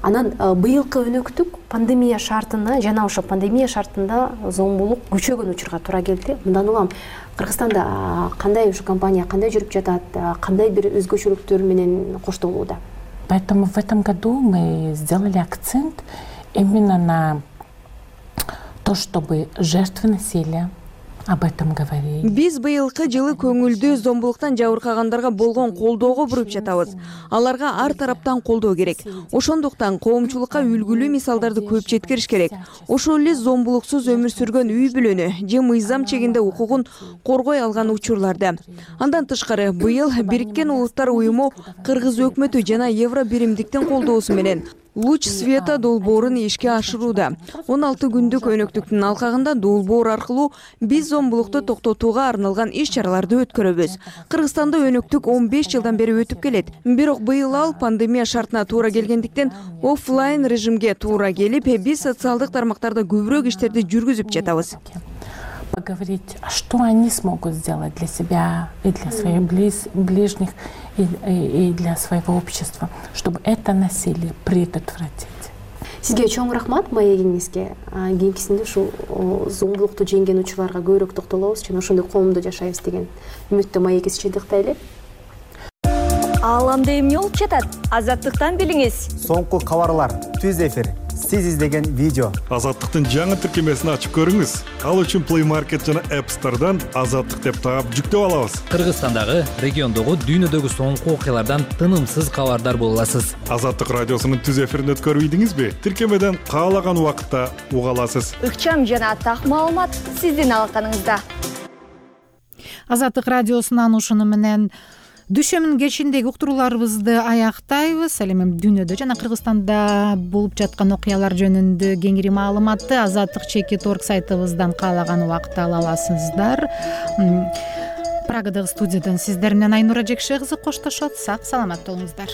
Анан быйылкы өнөктүк пандемия шартына жана ошо пандемия шартында зомбулук күчөгөн учурга туура келди. Мындан улам Кыргызстанда кандай ушу компания кандай жүрүп жатат, кандай бир өзгөчөлүктөр менен коштолууда? Поэтому в этом году мы сделали акцент именно на то, чтобы жертвы насилия об этом говорили. Биз быйылкы жылы көңүлдүү зомбулуктан жабыркагандарга болгон колдоого буруп жатабыз. Аларга ар тараптан колдоо керек. Ошондуктан коомчулукка үлгүлүү мисалдарды көп жеткириш керек. Ошол эле зомбулуксуз өмүр сүргөн үй бүлөнү же мыйзам чегинде укугун коргой алган учурларда. Андан тышкары быйыл Бириккен Улуттар уюму Кыргыз өкмөтү жана Евро биримдиктин колдоосу менен луч света долбоорун ишке ашырууда. 16 күндүк өнөктүктүн алкагында долбоор аркылуу биз зомбулукту токтотууга арналган иш-чараларды өткөрөбүз. Кыргызстанда өнөктүк 15 жылдан бери өтүп келет. Бирок быйыл ал пандемия шартына туура келгендиктен оффлайн режимге туура келип, биз социалдык тармактарда көбүрөөк иштерди жүргүзүп жатабыз. Поговорить, что они смогут сделать для себя и для своих ближних, и для своего общества, чтобы это насилие предотвратить. Сизге чоң рахмат маегиңизге. Кийинкисинде ушул зомбулукту жеңген учурларга көбүрөөк токтолобуз жана ошондой коомдо жашайбыз деген үмүттө маегибизди тыктайлы. Ааламда эмне болуп жатат? Азаттыктан билиңиз. Соңку кабарлар, түз эфир, сиз издеген видео. Азаттыктын жаңы тиркемесин ачып көрүңүз. Ал үчүн Play Market жана App Store'дан Азаттык деп таап жүктөп алабыз. Кыргызстандагы, региондогу, дүйнөдөгү соңку окуялардан тынымсыз кабардар боло аласыз. Азаттык радиосунун түз эфирин өткөрбөйдүңүзбү? Тиркемеден каалаган убакытта уга аласыз. Ыкчам жана так маалымат сиздин алаканыңызда. Азаттык радиосунан ушуну менен Дүшөмүн кечиндеги уктурууларыбызды аяктайбыз. Ал эми дүйнөдө жана Кыргызстанда болуп жаткан окуялар жөнүндө кеңири маалыматты azattik.org сайтыбыздан каалаган убакытта ала аласыздар. Прагадагы студиядан сиздер менен Айнура Жекше кызы коштошот. Сак саламат болуңуздар.